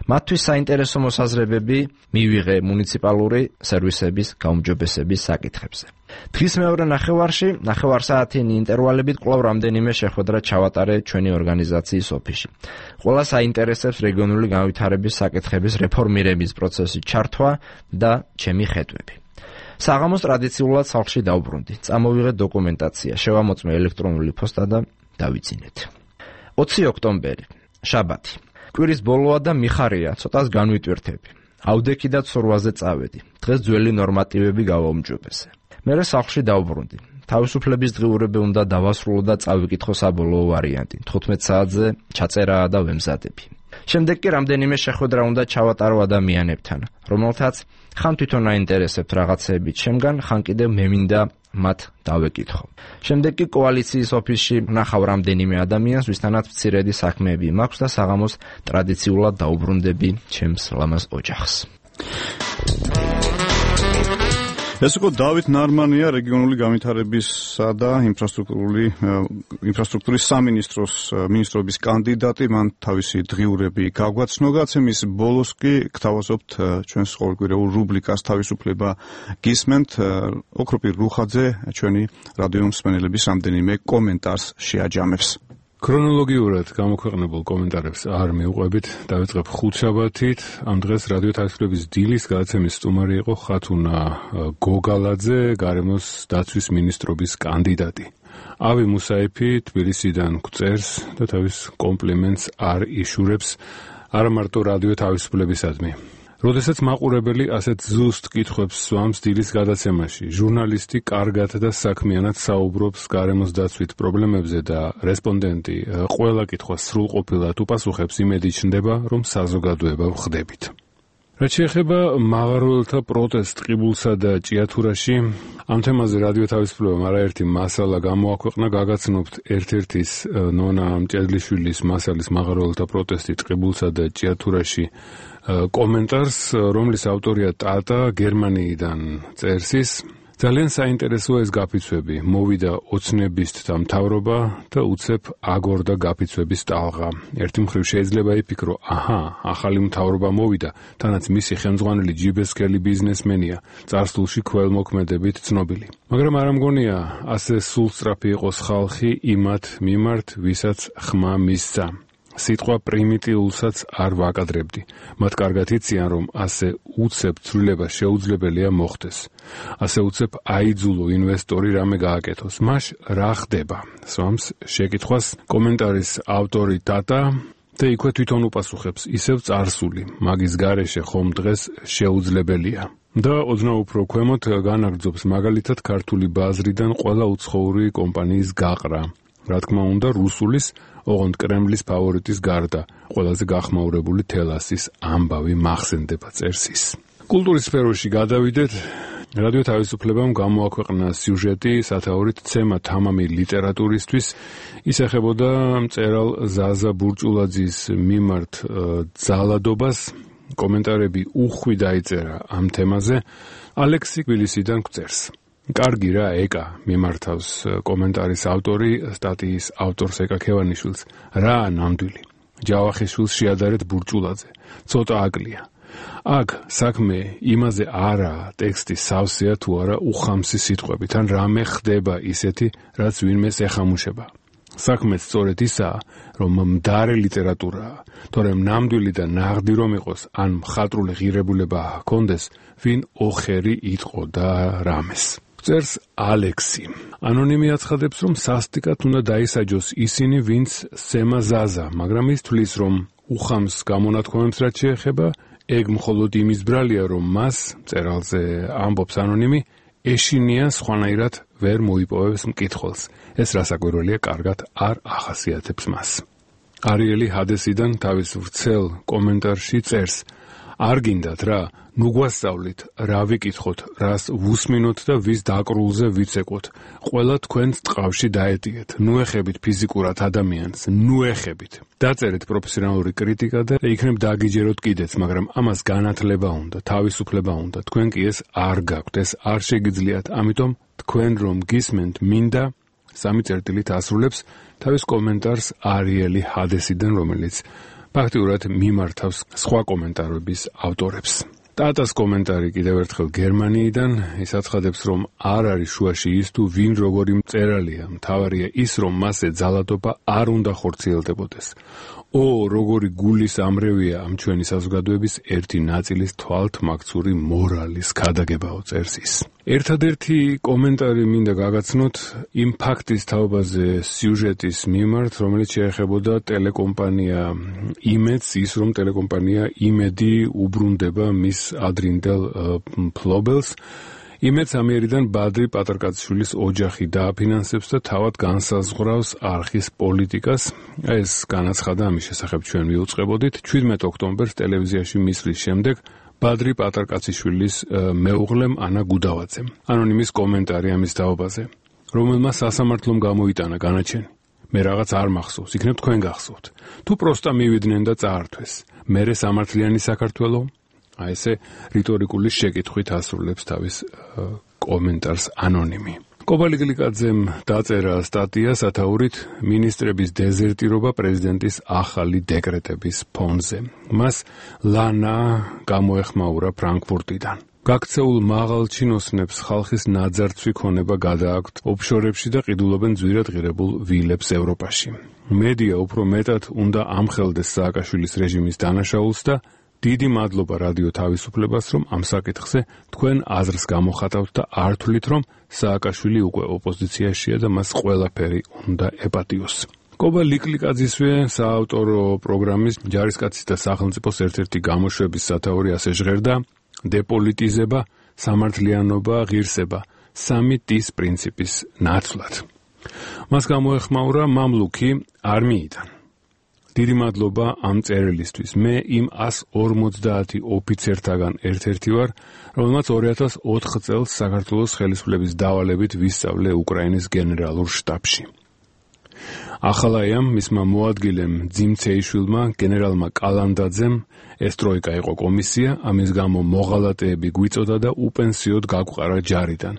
S5: მათთვის საინტერესო მოსაზრებები მივიღე მუნიციპალური სერვისების გაუმჯობესების საკითხებზე. დღის მეორე ნახევარსაათიანი ინტერვალებით კვლავ რამდენიმე შეხვედრა ჩავატარე ჩვენი ორგანიზაციის ოფისში. ყველა საინტერესებს რეგიონული განვითარების საკითხების რეფორმირების პროცესის ჩართვა და ჩემი ხედვები. საღამოს ტრადიციულად სახლში დავბრუნდი. წამოვიღე დოკუმენტაცია, შევამოწმე ელექტრონული პოსტა და დავიძინეთ. 20 ოქტომბერი, შაბათი. კვირის ბოლოა და მიხარია, ცოტას განვიტვირთები. ავდექი და ცურვაზე წავედი. დღეს ძველი ნორმატივები გავაუმჯობესე. მერე სახლში დავბრუნდი. თავისუფლების დღიურები უნდა დავასრულო და წავიკითხო საბოლოო ვარიანტი. 15 საათზე ჩაწერაა და ვემზადები. შემდეგ კი რამდენიმე შეხვედრა უნდა ჩავატარო ადამიანებთან, რომელთაც ხან თვითონ აინტერესებთ რაღაცეები ჩემგან, ხან კიდევ მე მინდა მათ დავეკითხო. შემდეგ კი კოალიციის ოფისში ვნახავ რამდენიმე ადამიანს, ვისთანაც მცირედი საქმეები მაქვს და საღამოს ტრადიციულად დაუბრუნდები ჩემს ლამაზ ოჯახს.
S1: ეს იყო დავით ნარმანია, რეგიონული განვითარებისა და ინფრასტრუქტურის სამინისტრობის კანდიდატი. მან თავისი დღიურები გაგვაცნო. გაცემის ბოლოს კი გთავაზობთ ჩვენს ყოველკვირეულ რუბრიკას თავისუფლება გისმენთ. ოქროპირ რუხაძე ჩვენი რადიო მსმენელების რამდენიმე კომენტარს შეაჯამებს.
S7: ქრონოლოგიურად გამოქვეყნებულ კომენტარებს არ მივყვებით. დავიწყებ ხუთშაბათით. ამ დღეს რადიო თავისუფლების დილის გადაცემის სტუმარი იყო ხათუნა გოგალაძე, გარემოს დაცვის მინისტრობის კანდიდატი. ავი მუსაიფი თბილისიდან გვწერს და თავის კომპლიმენტს არ იშურებს არა მარტო რადიო თავისუფლებისადმი. როდესაც მაყურებელი ასეთ ზუსტ კითხვებს სვამს დილის გადაცემაში, ჟურნალისტი კარგად და საქმიანად საუბრობს გარემოს დაცვით პრობლემებზე და რესპონდენტი ყველა კითხვას სრულყოფილად უპასუხებს, იმედი ჩნდება, რომ საზოგადოება ვხდებით. რაც შეეხება მაღაროელთა პროტესტ ყიბულსა და ჭიათურაში, ამ თემაზე რადიო თავისუფლებამ არაერთი მასალა გამოაქვეყნა, გაგაცნობთ ერთ-ერთის ნონა მჭედლიშვილის მასალის მაღაროელთა პროტესტი ყიბულსა და ჭიათურაში კომენტარს, რომლის ავტორია ტატა, გერმანიიდან წერს ის. ძალიან საინტერესოა ეს გაფიცვები. მოვიდა ოცნებისთ და მთავრობა და უცებ აგორდა გაფიცვების ტალღა. ერთი მხრივ შეიძლება იფიქრო, ახალი მთავრობა მოვიდა, თანაც მისი ხელმძღვანელი ჯიბესკელი ბიზნესმენია, წარსულში ქველმოქმედებით ცნობილი. მაგრამ არ მგონია ასე სულსწრაფი იყოს ხალხი იმათ მიმართ, ვისაც ხმა მისცა. სიტყვა პრიმიტიულსაც არ ვაკადრებდი. მათ კარგად იციან, რომ ასე უცებ ცვლილება შეუძლებელია მოხდეს. ასე უცებ აიძულო ინვესტორი რამე გააკეთოს. მაშ რა ხდება? სვამს შეკითხვას კომენტარის ავტორი ტატა და იქვე თვითონ უპასუხებს, ისევ წარსული, მაგის გარეშე ხომ დღეს შეუძლებელია. და ოდნავ უფრო ქვემოთ განაგრძობს მაგალითად ქართული ბაზრიდან ყველა უცხოური კომპანიის გაყრა. რა თქმა უნდა, რუსულის ოღონდ კრემლის ფავორიტის გარდა ყველაზე გახმაურებული თელასის ამბავი მახსენდება, წერს ის. კულტურის სფეროში გადავიდეთ. რადიო თავისუფლებამ გამოაქვეყნა სიუჟეტი სათაურით ცემა თამამი ლიტერატურისთვის. ის ეხებოდა მწერალ ზაზა ბურჭულაძის მიმართ ძალადობას. კომენტარები უხვი დაიწერა ამ თემაზე. ალექსი თბილისიდან გვწერს. კარგი რა, ეკა, მიმართავს კომენტარის ავტორი, სტატიის ავტორს ეკა ქევანიშვილს. რა ნამდვილი. ჯავახიშვილს შეადარეთ ბურჭულაძე. ცოტა აკლია. აქ საქმე იმაზე არაა, ტექსტი სავსეა თუ არა უხამსი სიტყვებით, ან რამე ხდება ისეთი, რაც ვინმეს ეხამუშება. საქმე სწორედ ისაა, რომ მდარე ლიტერატურაა, თორემ ნამდვილი და ნაღდი რომ იყოს, ან მხატვრული ღირებულება ჰქონდეს, ვინ ოხერი იტყო და რამეს. წერს ალექსი. ანონიმი აცხადებს, რომ სასტიკად უნდა დაისაჯოს ისინი, ვინც სემა ზაზა, მაგრამ ის თვლის, რომ უხამს გამონათქვამებს რაც შეეხება, ეგ მხოლოდ იმის ბრალია, რომ მას, მწერალზე ამბობს ანონიმი, ეშინია სხვანაირად ვერ მოიპოვებს მკითხველს. ეს რასაკვირველია, კარგად არ ახასიათებს მას. არიელი ჰადესიდან თავის ვრცელ კომენტარში წერს, არ გინდათ რა, ნუ გვასწავლით, რა ვიკითხოთ, რას ვუსმინოთ და ვის დაკრულზე ვიცეკოთ. ყველა თქვენს ტყავში დაეტიეთ, ნუ ეხებით ფიზიკურად ადამიანს, ნუ ეხებით. დაწერეთ პროფესიონალური კრიტიკა და იქნებ დაგიჯეროთ კიდეც, მაგრამ ამას განათლება უნდა, თავისუფლება უნდა. თქვენ კი ეს არ გაქვთ, ეს არ შეგიძლიათ, ამიტომ თქვენ რომ გისმენთ, მინდა 3 წერტილით ასრულებს თავის კომენტარს არიელი ჰადესიდან, რომელიც ფაქტიურად მიმართავს სხვა კომენტარების ავტორებს. ტატას კომენტარი კიდევ ერთხელ გერმანიიდან, ის აცხადებს, რომ არ არის შუაში ის თუ ვინ როგორი მწერალია, მთავარია ის, რომ მასზე ძალადობა არ უნდა ხორციელდებოდეს. როგორი გულის ამრევია ამ ჩვენი საზოგადოების ერთი ნაწილის თვალთმაქცური მორალის ქადაგებაო, წერს ის. ერთადერთი კომენტარი მინდა გაგაცნოთ იმ ფაქტის თაობაზე სიუჟეტის მიმართ, რომელიც შეეხებოდა ტელეკომპანია იმედს, ის რომ ტელეკომპანია იმედი უბრუნდება მის ადრინდელ მფლობელს. იმედს ამიერიდან ბადრი პატრკაციშვილის ოჯახი დააფინანსებს და თავად განსაზღვრავს არხის პოლიტიკას. ეს განაცხადა ამის შესახებ ჩვენ მიუწყებოდით 17 ოქტომბერს ტელევიზიაში მისვლის შემდეგ ბადრი პატრკაციშვილის მეუღლემ ანა გუდავაძემ. ანონიმის კომენტარი ამის თაობაზე, რომელმა სასამართლომ გამოიტანა განაჩენი. მე რაღაც არ მახსოვს, იქნებ თქვენ გახსოვთ. თუ პროსტა მივიდნენ და წაართვეს, მერე სამართლიანი საქართველო? ესე რიტორიკული შეკითხვით ასრულებს თავის კომენტარს ანონიმი. კობალი გლიკაძემ დაწერა სტატია სათაურით მინისტრების დეზერტირობა პრეზიდენტის ახალი დეკრეტების ფონზე. მას ლანა გამოეხმაურა ფრანკფურტიდან. გაქცეულ მაღალ ჩინოსნებს ხალხის ნაძარცვი ქონება გადააქვთ ოფშორებში და ყიდულობენ ძვირად ღირებულ ვილებს ევროპაში. მედია უფრო მეტად უნდა ამხელდეს სააკაშვილის რეჟიმის დანაშაულს და დიდი მადლობა რადიო თავისუფლებას, რომ ამ საკითხზე თქვენ აზრს გამოხატავთ და არ თვლით, რომ სააკაშვილი უკვე ოპოზიციაშია და მას ყველაფერი უნდა ეპატიოს. კობა ლიკლიკაძისვე საავტორო პროგრამის ჯარისკაცის და სახელმწიფოს ერთ-ერთი გამოშვების სათაური ასე ჟღერდა: დეპოლიტიზება, სამართლიანობა, ღირსება, 3 T-ის პრინციპის ნაცვლად. მას გამოეხმაურა მამლუქი არმიიდან. დიდი მადლობა ამ წერილისთვის. მე იმ 150 ოფიცერთაგან ერთ-ერთი ვარ, რომელმაც 2004 წელს საქართველოს ხელისუფლების დავალებით ვისწავლე უკრაინის გენერალურ შტაბში. ახალაიამ მისმა მოადგილემ ძიმცეიშვილმა, გენერალმა კალანდაძემ ეს ტროიკა იყო კომისია, ამის გამო მოღალატეები გვიწოდა და უპენსიოდ გაგვყარა ჯარიდან.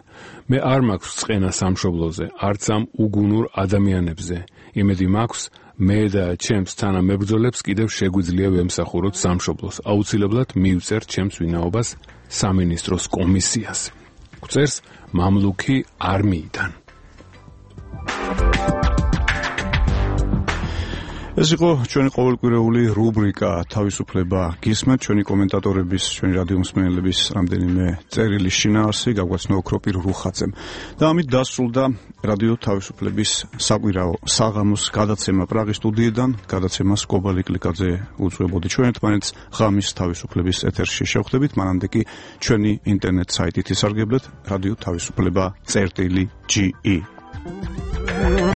S7: მე არ მაქვს წყენა სამშობლოზე, არც ამ უგუნურ ადამიანებზე. იმედი მაქვს, მე და ჩემს თანამებრძოლებს კიდევ შეგვიძლია ვემსახუროთ სამშობლოს. აუცილებლად მივწერთ ჩემს ვინაობას სამინისტროს კომისიას. გვწერს მამლუქი არმიიდან. ეს იყო ჩვენი ყოველკვირეული რუბრიკა თავისუფლება გისმენთ, ჩვენი კომენტატორების, ჩვენი რადიო მსმენელების რამდენიმე წერილის შინაარსი გაგვაცნო ოქროპირ რუხაძემ. და ამით დასრულდა რადიო თავისუფლების საკვირაო საღამოს გადაცემა პრაღის სტუდიიდან. გადაცემას კობა ლიკლიკაძე უძღვებოდი. ჩვენ ერთმანეთს ღამის თავისუფლების ეთერში შევხვდებით, მანამდე კი ჩვენი ინტერნეტ საიტით ისარგებლეთ: რადიო თავისუფლება.ge